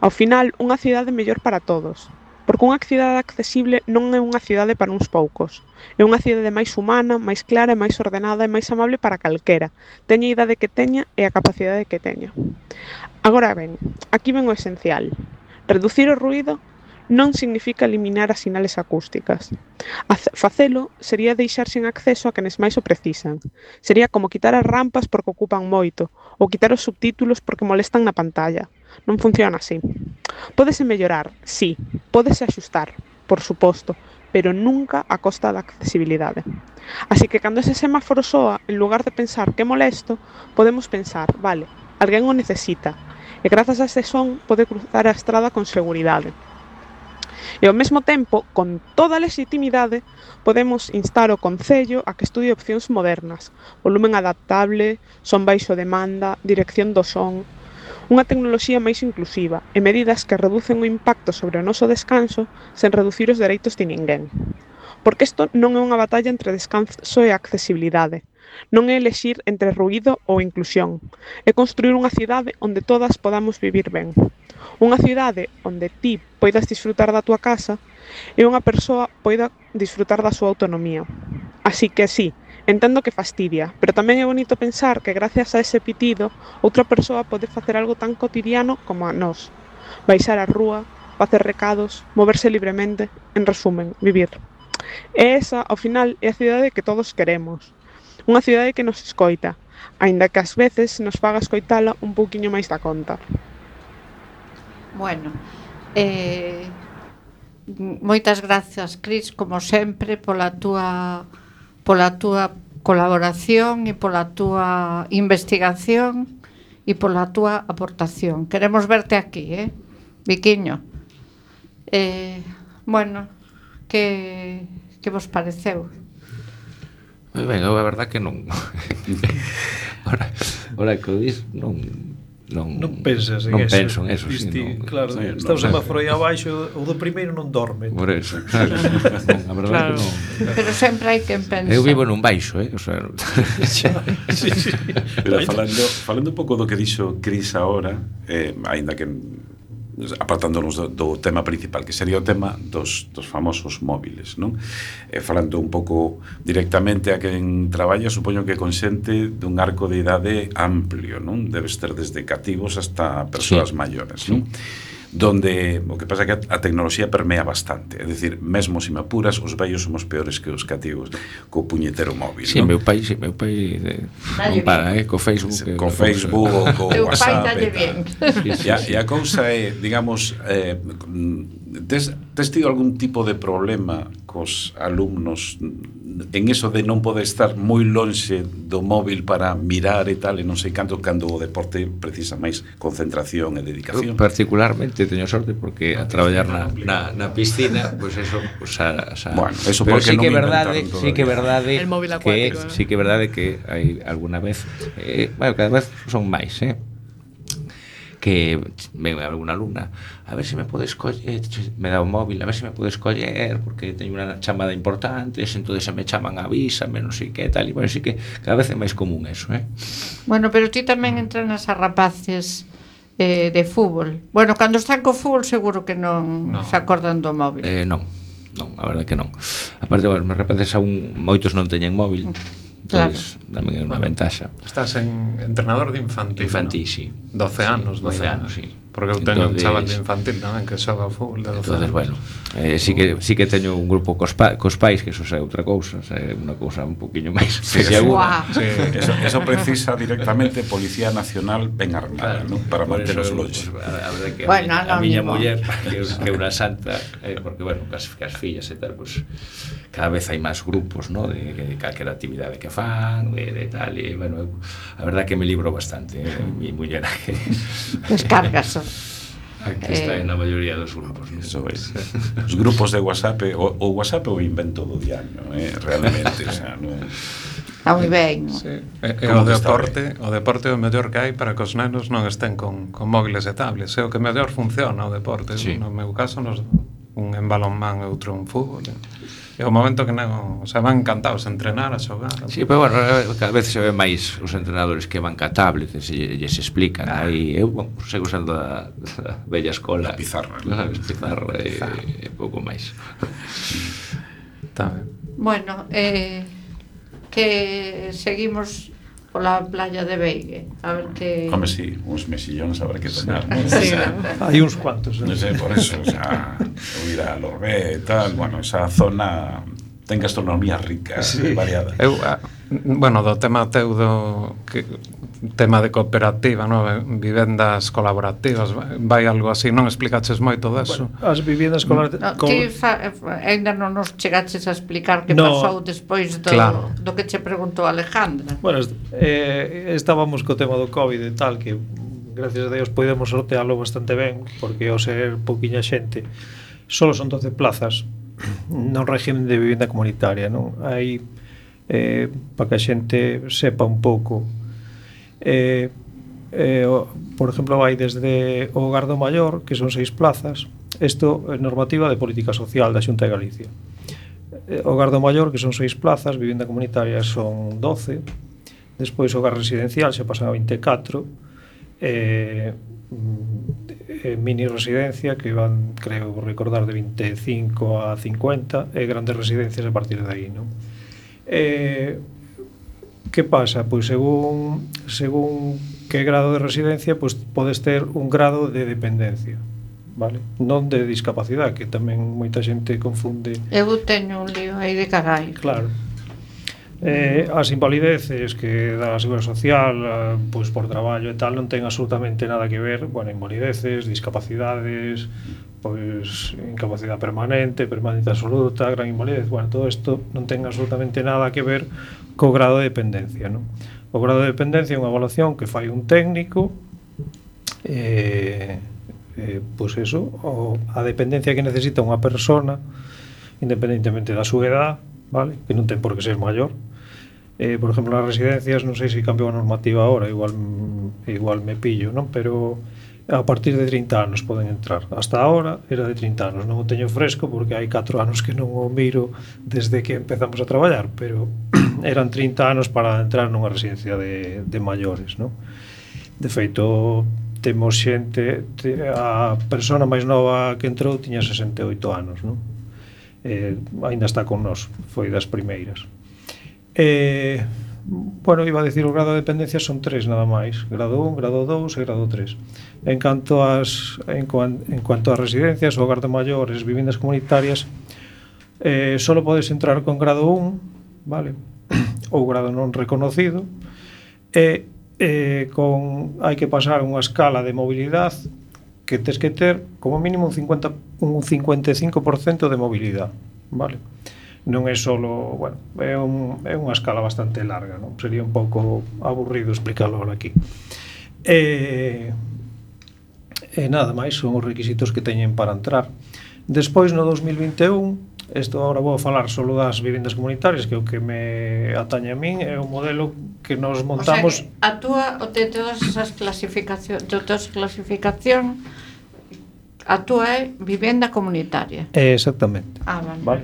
ao final, unha cidade mellor para todos. Porque unha cidade accesible non é unha cidade para uns poucos. É unha cidade máis humana, máis clara, máis ordenada e máis amable para calquera, teña a idade que teña e a capacidade que teña. Agora ben, aquí ven o esencial. Reducir o ruído non significa eliminar as sinales acústicas. Facelo sería deixar sen acceso a quenes máis o precisan. Sería como quitar as rampas porque ocupan moito, ou quitar os subtítulos porque molestan na pantalla. Non funciona así. Pódese mellorar, sí, pódese axustar, por suposto, pero nunca a costa da accesibilidade. Así que cando ese semáforo soa, en lugar de pensar que molesto, podemos pensar, vale, alguén o necesita, e grazas a ese son pode cruzar a estrada con seguridade. E ao mesmo tempo, con toda a legitimidade, podemos instar o Concello a que estudie opcións modernas, volumen adaptable, son baixo demanda, dirección do son, unha tecnoloxía máis inclusiva e medidas que reducen o impacto sobre o noso descanso sen reducir os dereitos de ninguén. Porque isto non é unha batalla entre descanso e accesibilidade. Non é elexir entre ruído ou inclusión. É construir unha cidade onde todas podamos vivir ben. Unha cidade onde ti poidas disfrutar da tua casa e unha persoa poida disfrutar da súa autonomía. Así que sí, entendo que fastidia, pero tamén é bonito pensar que gracias a ese pitido outra persoa pode facer algo tan cotidiano como a nós. Baixar á rúa, facer recados, moverse libremente, en resumen, vivir. E esa, ao final, é a cidade que todos queremos. Unha cidade que nos escoita, aínda que ás veces nos faga escoitala un pouquiño máis da conta. Bueno, eh, moitas grazas, Cris, como sempre, pola túa pola túa colaboración e pola túa investigación e pola túa aportación. Queremos verte aquí, eh, Viquiño. Eh, bueno, que que vos pareceu? Moi ben, a verdad que non. Ora, ora que o dis, non non non pensas en non eso. penso en eso, Disti, sí, non, claro, sí, está o non, semáforo aí abaixo, o do primeiro non dorme. Por eso, claro. A verdade Claro. que non. Pero sempre hai quen pensa. Eu vivo nun baixo, eh, o sea, Sí, sí. Pero falando, falando un pouco do que dixo Cris agora, eh, aínda que apartándonos do, do tema principal, que sería o tema dos, dos famosos móviles, non? Eh, falando un pouco directamente a quen traballa, supoño que consente dun arco de idade amplio, non? Debes ter desde cativos hasta persoas Sí. maiores, non? Donde o que pasa é que a tecnoloxía permea bastante, é dicir, mesmo se me apuras, os vellos somos peores que os cativos co puñetero móvil, sí, non? meu pai, sí, meu pai de, Dalle non para, eh, co Facebook, Sí, co Facebook ou co Teu pai WhatsApp dalle e tal. bien. E a, e a cousa é, digamos, eh, tes, tes tido algún tipo de problema cos alumnos en eso de non poder estar moi lonxe do móvil para mirar e tal, e non sei canto, cando o deporte precisa máis concentración e dedicación? Eu particularmente teño sorte porque a traballar na, na, na piscina, pois pues eso, o sea, o sea, Bueno, eso pero porque sí non que é me verdade, inventaron sí que é todavía. verdade El móvil que acuático, ¿no? sí que é verdade que hai alguna vez, eh, bueno, cada vez son máis, eh, que ven alguna alumna, a ver se me podes coller, me dá o móvil, a ver se me podes coller porque teño unha chamada importante, entón se me chaman, avísame, non sei que tal, e bueno, sí que cada vez é máis común eso, eh. Bueno, pero ti tamén entrenas a rapaces eh, de fútbol. Bueno, cando están co fútbol seguro que non No. se acordan do móvil. Eh, non. non, a verdade que non. Aparte, bueno, me repetes a un, moitos non teñen móvil. Claro. Pois, tamén é unha ventaxa. Estás en entrenador de infantil. Infantil, ¿no? sí. doce anos. doce anos, sí. Porque eu teño Entonces, un chaval de infantil tamén que xoga ao fútbol de doce entonces, anos. bueno, eh, sí, que, sí que teño un grupo cos, pa, cos pais, que eso é outra cousa, é unha cousa un poquinho máis sí, sí, wow. sí, eso, eso precisa directamente Policía Nacional ben armada, claro, ¿no? Para manter os loches. Pues, a, a verdade que bueno, a, a miña muller, que, que é unha santa, eh, porque, bueno, cas, cas fillas e tal, pues, cada vez hai máis grupos, ¿no? De, de calquera actividade que fan, de, de tal, e, bueno, eu, a verdade que me libro bastante, eh, mi muller que... Descargas. Aquí está eh, na maioría dos grupos, ¿no? Eso es. Os grupos de WhatsApp, o, o WhatsApp é o invento do diaño, eh, realmente, o sea, non... Está moi ben. Sí. E, e o deporte, o deporte é o mellor que hai para que os nenos non estén con, con móviles e tablets. É o que mellor funciona o deporte. Sí. No meu caso, nos, un en balonmán e outro en fútbol. É o momento que non, o sea, van encantados a entrenar, a xogar. Sí, pero bueno, cada vez se ve máis os entrenadores que van ca tablets e lles explican. Ah. Aí eu bueno, sigo usando a, a bella escola, a pizarra, a pizarra e, e pouco máis. Está ben. Bueno, eh, que seguimos pola playa de Beigue, a ver que... Home, sí, uns mesillóns habrá que tomar, ¿no? Sí, hai uns cuantos. Non sei, por eso, o sea, ir a Lorbé e tal, bueno, esa zona ten gastronomía rica, sí. Variada. Eu, bueno, do tema teu do que, tema de cooperativa, no? Vivendas colaborativas, vai algo así, non explicaches moito deso? Bueno, as vivendas colaborativas... No, ti fa, ainda non nos chegaches a explicar que no. pasou despois do, claro. do que che preguntou Alejandra. Bueno, eh, estábamos co tema do COVID e tal, que gracias a Deus podemos sortealo bastante ben, porque ao ser pouquiña xente, solo son doce plazas no régimen de vivenda comunitaria, non? Hai, eh, para que a xente sepa un pouco, eh, eh, por exemplo, vai desde o Hogar do Maior, que son seis plazas. Isto é normativa de política social da Xunta de Galicia. eh, O Hogar do Maior, que son seis plazas, vivenda comunitaria son doce. Despois o Hogar residencial xa pasan a vinte e catro, eh, eh, mini residencia que van, creo recordar, de vinte e cinco a cincuenta, e grandes residencias a partir de aí, non? Eh, que pasa? Pois según según que grado de residencia, pois podes ter un grado de dependencia, vale? Non de discapacidade, que tamén moita xente confunde. Eu teño un lío aí de carai. Claro. Eh, as invalideces que dá a Seguridade Social, eh, pois por traballo e tal, non ten absolutamente nada que ver, bueno, invalideces, discapacidades, pois incapacidade permanente, permanente absoluta, gran invalidez, bueno, todo isto non ten absolutamente nada que ver co grado de dependencia, non? O grado de dependencia é unha evaluación que fai un técnico, eh, eh, pois eso, o, a dependencia que necesita unha persona, independentemente da súa edad, vale? Que non ten por que ser maior. Eh, por exemplo, nas residencias, non sei se cambiou a normativa agora, igual igual me pillo, non? Pero a partir de trinta anos poden entrar. Hasta ahora era de trinta anos, non o teño fresco porque hai catro anos que non o miro desde que empezamos a traballar, pero eran trinta anos para entrar nunha residencia de, de maiores, non? De feito, temos xente, a persona máis nova que entrou tiña sesenta e oito anos, non? Eh, ainda está con nós, foi das primeiras. Eh, bueno, iba a decir o grado de dependencia son tres nada máis, grado un, grado dous e grado tres. En canto ás en, cuan, en cuanto ás residencias, o hogar de maiores, viviendas comunitarias, eh, solo podes entrar con grado un, vale? Ou grado non reconocido, e eh, con hai que pasar unha escala de mobilidade que tes que ter como mínimo un cincuenta, un cincuenta e cinco por cento de mobilidade, vale? Non é solo, bueno, é, un, é unha escala bastante larga, non? Sería un pouco aburrido explicarlo ahora aquí. E, e nada máis, son os requisitos que teñen para entrar. Despois, no dos mil vinte e un, isto agora vou falar solo das vivendas comunitarias, que é o que me atañe a min, é o modelo que nos montamos. O sea, que a túa, o de todas esas clasificacións, de todas as clasificación, a túa é vivenda comunitaria. Exactamente. Ah, vale. Vale.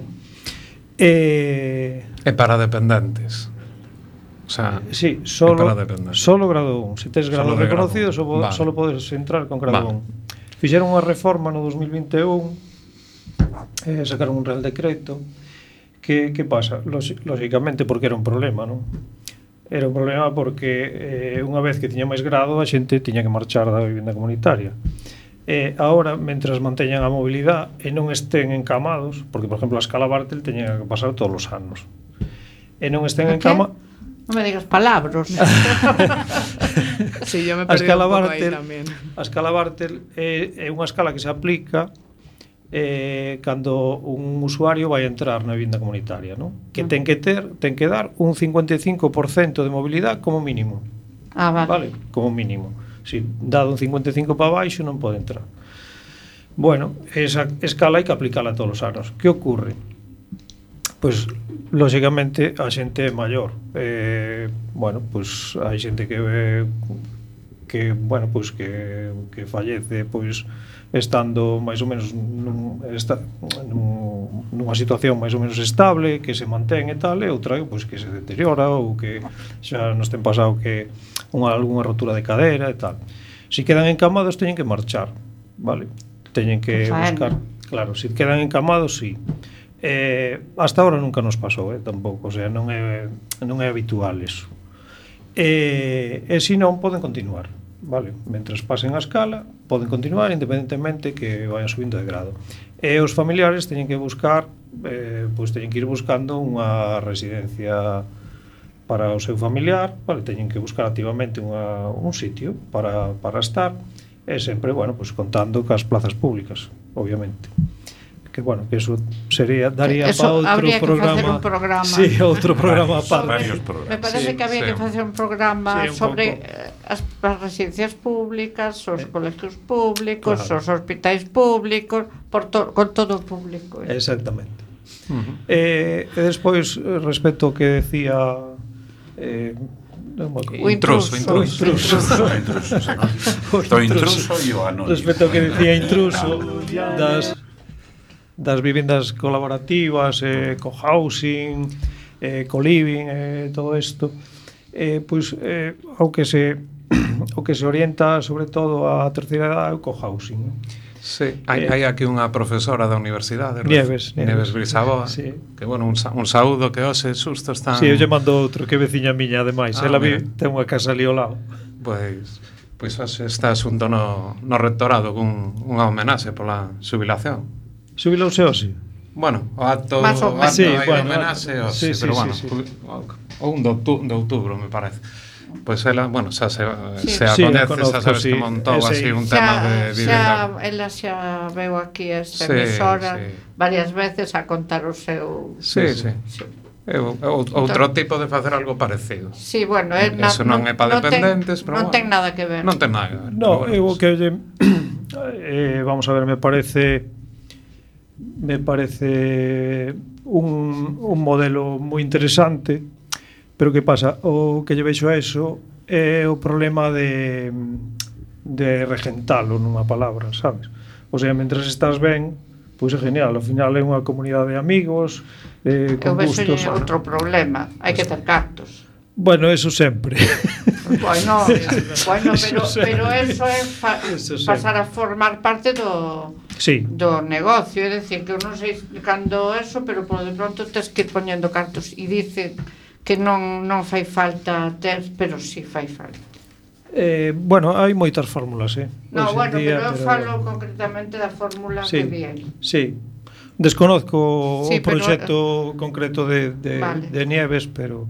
E... é para dependentes. O sea, sí, solo, solo grado un. Se tes grado reconocido, só vale. Solo podes entrar con grado vale. un. Fixeron unha reforma no dos mil vinte e un eh, sacaron un real decreto. Que, que pasa? Lógicamente porque era un problema, non? Era un problema porque eh, unha vez que tiña máis grado a xente tiña que marchar da vivenda comunitaria. E agora, mentras manteñan a mobilidade e non estén encamados, porque, por exemplo, a escala Bartel teña que pasar todos os anos, e non estén en cama... Non me digas palabras. Sí, yo me perdí un pouco aí tamén. A escala Bartel é, é unha escala que se aplica eh, cando un usuario vai entrar na vivienda comunitaria, ¿no? Que uh -huh. ten que ter, ten que dar un cincuenta e cinco por cento de mobilidade como mínimo. Ah, vale. Vale, como mínimo. Si dado un cincuenta e cinco para baixo non pode entrar. Bueno, esa escala hai que aplicala todos os anos. Que ocorre? Pois, lógicamente, a xente é maior. Eh, bueno, pois hai xente que eh, que, bueno, pois que que fallece, pois estando máis ou menos nun, esta, nun, nunha situación máis ou menos estable, que se mantén e tal, e outra pois, que se deteriora ou que xa nos ten pasado que unha, algunha rotura de cadera e tal. Si quedan encamados teñen que marchar, vale? Teñen que buscar, claro, si quedan encamados, sí. Eh, hasta ahora nunca nos pasou, eh, tampouco, o sea, non é, non é habitual eso. E, e se non, poden continuar. Vale, mentras pasen a escala poden continuar independentemente que vayan subindo de grado, e os familiares teñen que buscar eh, pois teñen que ir buscando unha residencia para o seu familiar, vale, teñen que buscar activamente unha, un sitio para, para estar, e sempre, bueno, pois contando cas plazas públicas, obviamente. Que bueno, que eso sería daría para outro programa. Que un programa. Sí, outro programa aparte. Varios programas. Me parece sí, que había sí. que facer un programa sí, un sobre as, as residencias públicas, os eh. colegios públicos, claro. Os hospitais públicos, por to, con todo o público. Eh. Exactamente. Uh-huh. eh, e despois, respecto ao que decía eh, o intruso, intruso, intruso, intruso, intruso, intruso e o anónimo. Respecto ao que decía intruso das das vivendas colaborativas, eh, co-housing, eh, co-living, eh, todo isto, eh, pois, eh, ao que se o que se orienta sobre todo a terceira edade é o co-housing. Sí, hai, eh, hai aquí unha profesora da universidade, Nieves, Nieves Brisaboa, sí. Que, bueno, un, un saúdo que hoxe susto están... Sí, eu lle mando outro, que veciña miña, ademais, ah, ela vi, ten unha casa ali ao lado. Pois, pois hoxe está asunto no, no rectorado con unha homenaxe pola xubilación. Xubilouse hoxe? Bueno, o acto, o acto sí, hai bueno, homenaxe hoxe, sí, pero sí, bueno, sí, sí. o un de outubro, de outubro, me parece. Pois pues ela, bueno, xa se, sí. se a sí, coñece, conozco, xa sabes sí. que montou Ese, así un xa, tema de vivenda. Xa, ela xa veu aquí a esta sí, emisora sí. varias veces a contar o seu... Sí, sí. sí. É outro tipo de facer algo parecido. Sí, bueno, é na, eso non é para dependentes, ten, pero non bueno, ten nada que ver. Non ten nada que ver. No, bueno, eu que oye, eh, vamos a ver, me parece me parece un, un modelo moi interesante, pero que pasa? O que lle vexo a eso é o problema de de regentalo nunha palabra, sabes? O sea, mentras estás ben, pois é genial, ao final é unha comunidade de amigos, eh, con eu gustos. Eu vexo outro problema, hai que ter cartos. Bueno, eso sempre. Bueno, bueno, pero, pero eso é fa, eso pasar a formar parte do, sí. do negocio, é dicir, que eu non sei cando eso, pero por de pronto tes que ir poñendo cartos, e dice que non, non fai falta ter, pero si sí fai falta. Eh, bueno, hai moitas fórmulas, eh? No, Hoxe bueno, día, pero eu pero... falo concretamente da fórmula sí, que viene. Sí, desconozco sí, o proxecto pero... concreto de, de, vale. de Nieves, pero...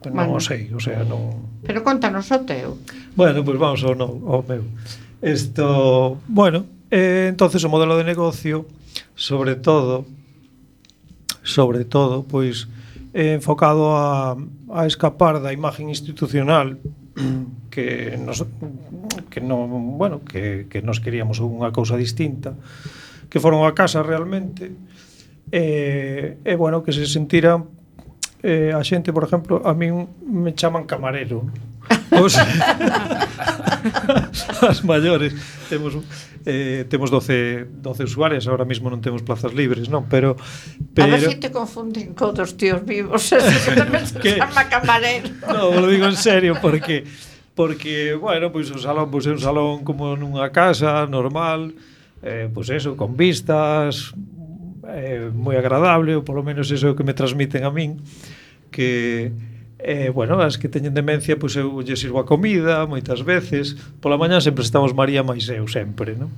Pues non o sei, o sea, non... Pero contanos o teu. Bueno, pois pues vamos ao, no, ao meu. Esto, bueno, eh, entonces o modelo de negocio, sobre todo, sobre todo, pois, eh, enfocado a, a escapar da imagen institucional que nos, que non, bueno, que, que nos queríamos unha cousa distinta, que foron a casa realmente, e, eh, eh, bueno, que se sentiran Eh, a xente, por exemplo, a min me chaman camarero. Os as maiores temos eh, temos doce, doce usuarios, ahora mismo non temos plazas libres, non, pero, pero... A ver se si te confunden con dos tíos vivos, eso que tamén se chama camarero. No, lo digo en serio, porque porque, bueno, pois pues, o salón pois pues, é un salón como nunha casa normal, eh, pois pues eso, con vistas, é moi agradable, ou polo menos eso é o que me transmiten a min, que eh, bueno, as que teñen demencia, pois eu lle sirvo a comida moitas veces, pola mañá sempre estamos María máis eu sempre, non?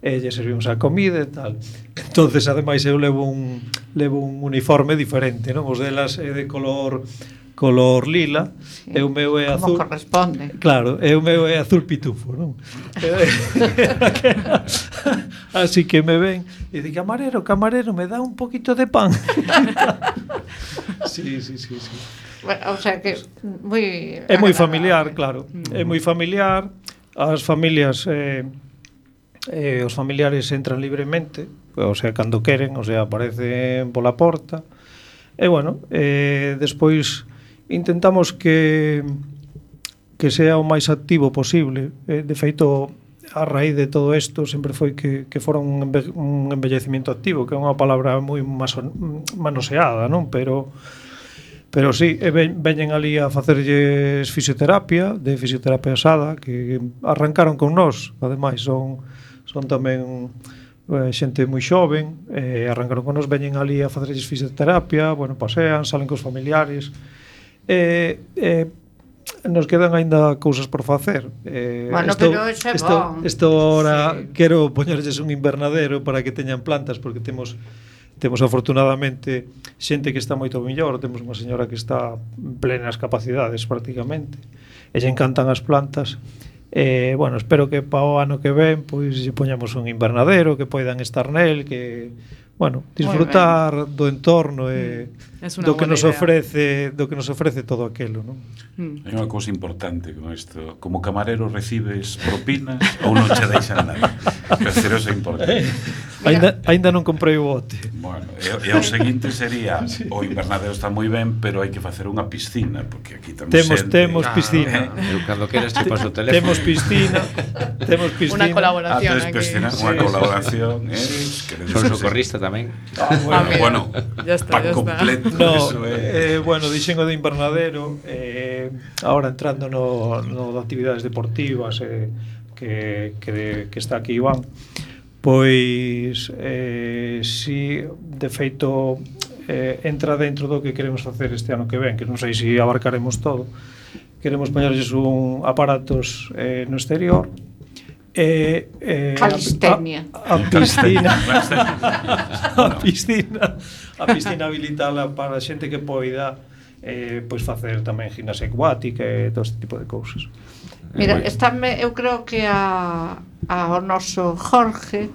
E lle servimos a comida e tal. Entonces, ademais, eu levo un levo un uniforme diferente, non? Os delas é de color color lila, sí. E o meu é azul. Como corresponde. Claro, e o meu é azul pitufo, non? Así que me ven e di, camarero, camarero, me dá un poquito de pan. Sí, sí, sí, sí. Bueno, o sea que moi é moi familiar, claro. É moi familiar. As familias eh, eh, os familiares entran libremente, o sea, cando queren, o sea, aparecen pola porta. E bueno, eh, despois intentamos que que sea o máis activo posible. Eh, de feito, a raíz de todo isto sempre foi que, que fora un, enve un envellecimiento activo, que é unha palabra moi manoseada, non? Pero pero sí, e ven, veñen ali a facerlles fisioterapia, de fisioterapia asada, que arrancaron con nós, ademais son son tamén eh, xente moi xoven, eh, arrancaron con nós, veñen ali a facerlles fisioterapia, bueno, pasean, salen cos familiares, e eh, eh, nos quedan aínda cousas por facer. Eh, bueno, esto, pero iso é esto, bon. Esto ahora sí. Quero poñerlles un invernadero para que teñan plantas, porque temos temos afortunadamente xente que está moito mellor, temos unha señora que está en plenas capacidades prácticamente, e lle encantan as plantas. Eh, bueno, espero que para o ano que ven pois lle poñamos un invernadero, que poidan estar nel, que bueno, disfrutar do entorno e do que nos idea. ofrece, do que nos ofrece todo aquilo, non? Mm. Hai unha cousa importante con isto, como camarero recibes propinas ou non che deixan nada. Pero eso é importante. Ainda, ainda non comprei o bote. Bueno, e, e o seguinte sería, sí. O invernadero está moi ben, pero hai que facer unha piscina, porque aquí temos Temos, xente. temos piscina. Ah, eu cando queres te paso o teléfono. Temos piscina. Temos piscina. Unha colaboración. Ah, piscina, unha sí, colaboración. Eh, Son socorrista tamén. Ah, bueno, bueno, ya está, ya está. Completo, no, eso é. eh, bueno, dixen o de invernadero, eh, ahora entrando no, no de actividades deportivas, eh, que, que, de, que está aquí Iván, pois eh, si de feito eh, entra dentro do que queremos facer este ano que ven, que non sei se abarcaremos todo. Queremos poñerles un aparatos eh, no exterior, Eh, eh, calistenia a, a, a piscina a piscina a piscina habilitala para xente que poida eh, pois facer tamén gimnasia acuática e todo este tipo de cousas. Mira, estáme, eu creo que a, a o noso Jorge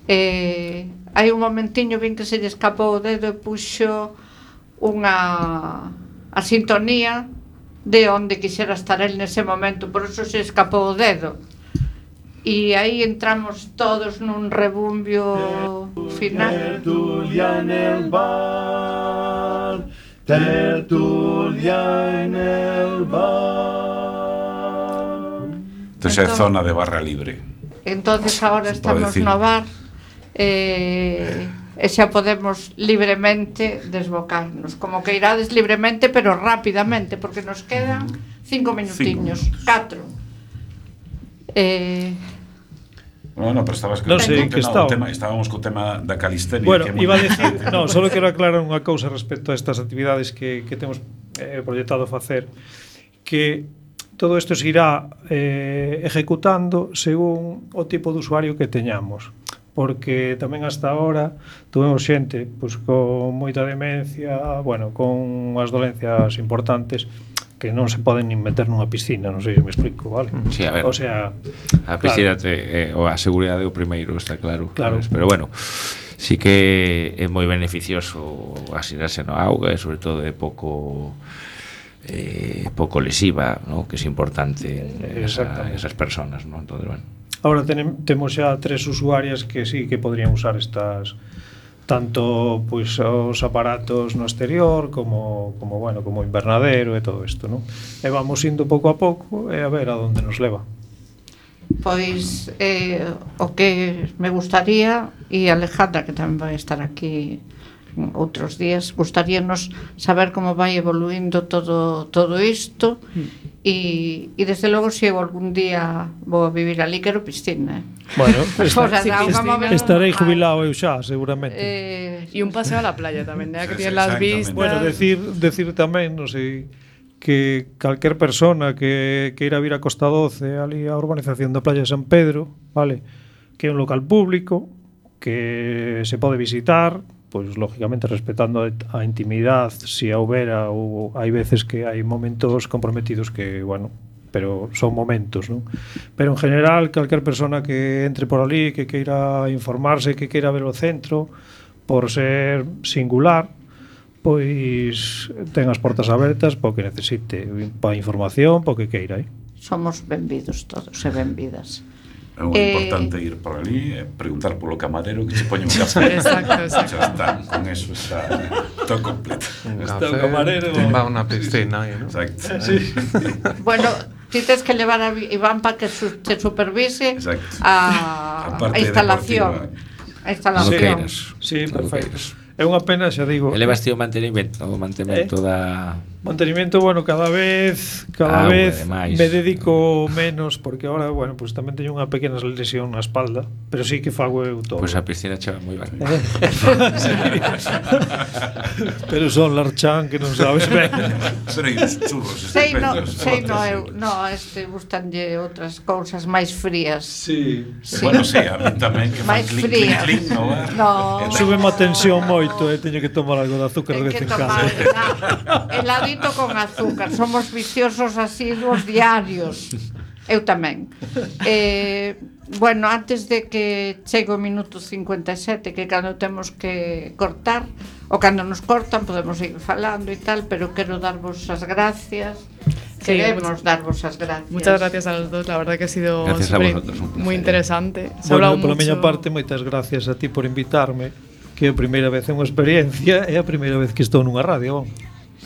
eh, hai un momentiño vin que se lle escapou o dedo e puxo unha a sintonía de onde quixera estar el nese momento, por eso se escapou o dedo. E aí entramos todos nun rebumbio final. Tertulia en el bar, tertulia en el bar. Entonces é zona de barra libre. Entonces agora estamos no bar eh, e xa podemos libremente desbocarnos, como que irades libremente pero rapidamente, porque nos quedan cinco minutiños, catro. Eh, Bueno, pero estabas non sei que no, está. Tema, estábamos co tema da calistenia. Bueno, que iba a decir, no, solo quero aclarar unha cousa respecto a estas actividades que, que temos eh, proyectado facer, que todo isto se irá eh, ejecutando según o tipo de usuario que teñamos, porque tamén hasta ahora tuvemos xente pois, con moita demencia, bueno, con unhas dolencias importantes que non se poden nin meter nunha piscina, non sei se me explico, vale? Sí, a ver. O sea, a piscina claro. te, eh, o a seguridade é o primeiro, está claro. Claro. Pero bueno, sí que é moi beneficioso asinarse no auga e sobre todo é pouco eh, pouco lesiva, ¿no? Que é importante en esa, esas personas, ¿no? Entonces, bueno. Ahora tenem, temos xa tres usuarias que sí que podrían usar estas, tanto pois os aparatos no exterior como como bueno, como invernadero e todo isto, ¿no? E vamos indo pouco a pouco e a ver a onde nos leva. Pois eh, o que me gustaría, e Alejandra que tamén vai estar aquí outros días, gustaríanos saber como vai evoluindo todo todo isto E, e desde logo, se eu algún día vou a vivir ali, quero piscina. Bueno, esta, esta, esta, estarei jubilado eu xa, seguramente. Eh, e un paseo a la playa tamén, né? Que tiene las vistas. Bueno, decir, decir tamén, non sei, que calquer persona que queira vir a Costa doce, ali a urbanización da playa de San Pedro, vale, que é un local público, que se pode visitar, pois lógicamente respetando a intimidade, se a houbera, ou hai veces que hai momentos comprometidos que, bueno, pero son momentos, non? Pero en general, calquer persona que entre por ali, que queira informarse, que queira ver o centro, por ser singular, pois ten as portas abertas para o que necesite, para información, para o que queira, eh? Somos benvidos todos e benvidas. É moi eh, importante ir por ali e preguntar polo camarero que se poñe un café. Exacto, exacto. Ya está, con eso está todo completo. Un está café, o camarero. Va a unha piscina aí, ¿no? Exacto. Sí. Bueno, ti tens que levar a Iván para que su, te supervise a, a instalación. A instalación. Sí, sí, perfecto. É unha pena, xa digo. Elevaste o mantenimento, o mantenimento eh? da... Mantenimiento, bueno, cada vez cada ah, vez bueno, me dedico menos, porque ahora, bueno, pues tamén teño unha pequena lesión na espalda, pero sí que fago eu todo. Pois pues a piscina chava moi ben. Pero son larchán que non sabes ben. Serei os churros sei no, sei no, eu, no, este gustanlle outras cousas máis frías. Sí. sí. Bueno, sí, a mí tamén que máis clink, frías. Clink, clink, no, no. Súbeme a tensión moito, eh, teño que tomar algo de azúcar de vez en cando. Heladito con azúcar, somos viciosos asiduos diarios. Eu tamén. Eh, bueno, antes de que chegue o minuto cincuenta e sete, que cando temos que cortar, ou cando nos cortan podemos seguir falando e tal, pero quero darvos as gracias. Sí, queremos muchas, darvos as gracias. Muchas gracias a los dos, la verdad que ha sido muy interesante. Se bueno, pola miña parte, moitas gracias a ti por invitarme, que é a primeira vez é unha experiencia, é a primeira vez que estou nunha radio.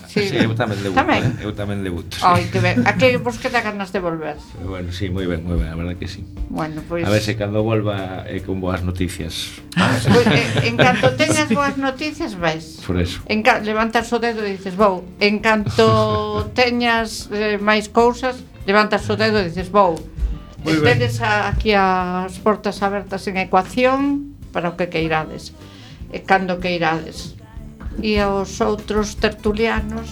Sí, sí, eu tamén debuto. Tamén? Eu tamén debuto. Sí. Ai, que ben. A que vos queda ganas de volver? Bueno, sí, moi ben, moi ben, a verdade que sí. Bueno, pois pues... A ver se cando volva é eh, con boas noticias. Pues, eh, en canto teñas boas noticias, vais. Por eso. En ca... levantas o dedo e dices, vou. En canto teñas eh, máis cousas, levantas o dedo e dices, vou. Tedes aquí as portas abertas en Ecuación para o que queirades. E cando queirades. E aos outros tertulianos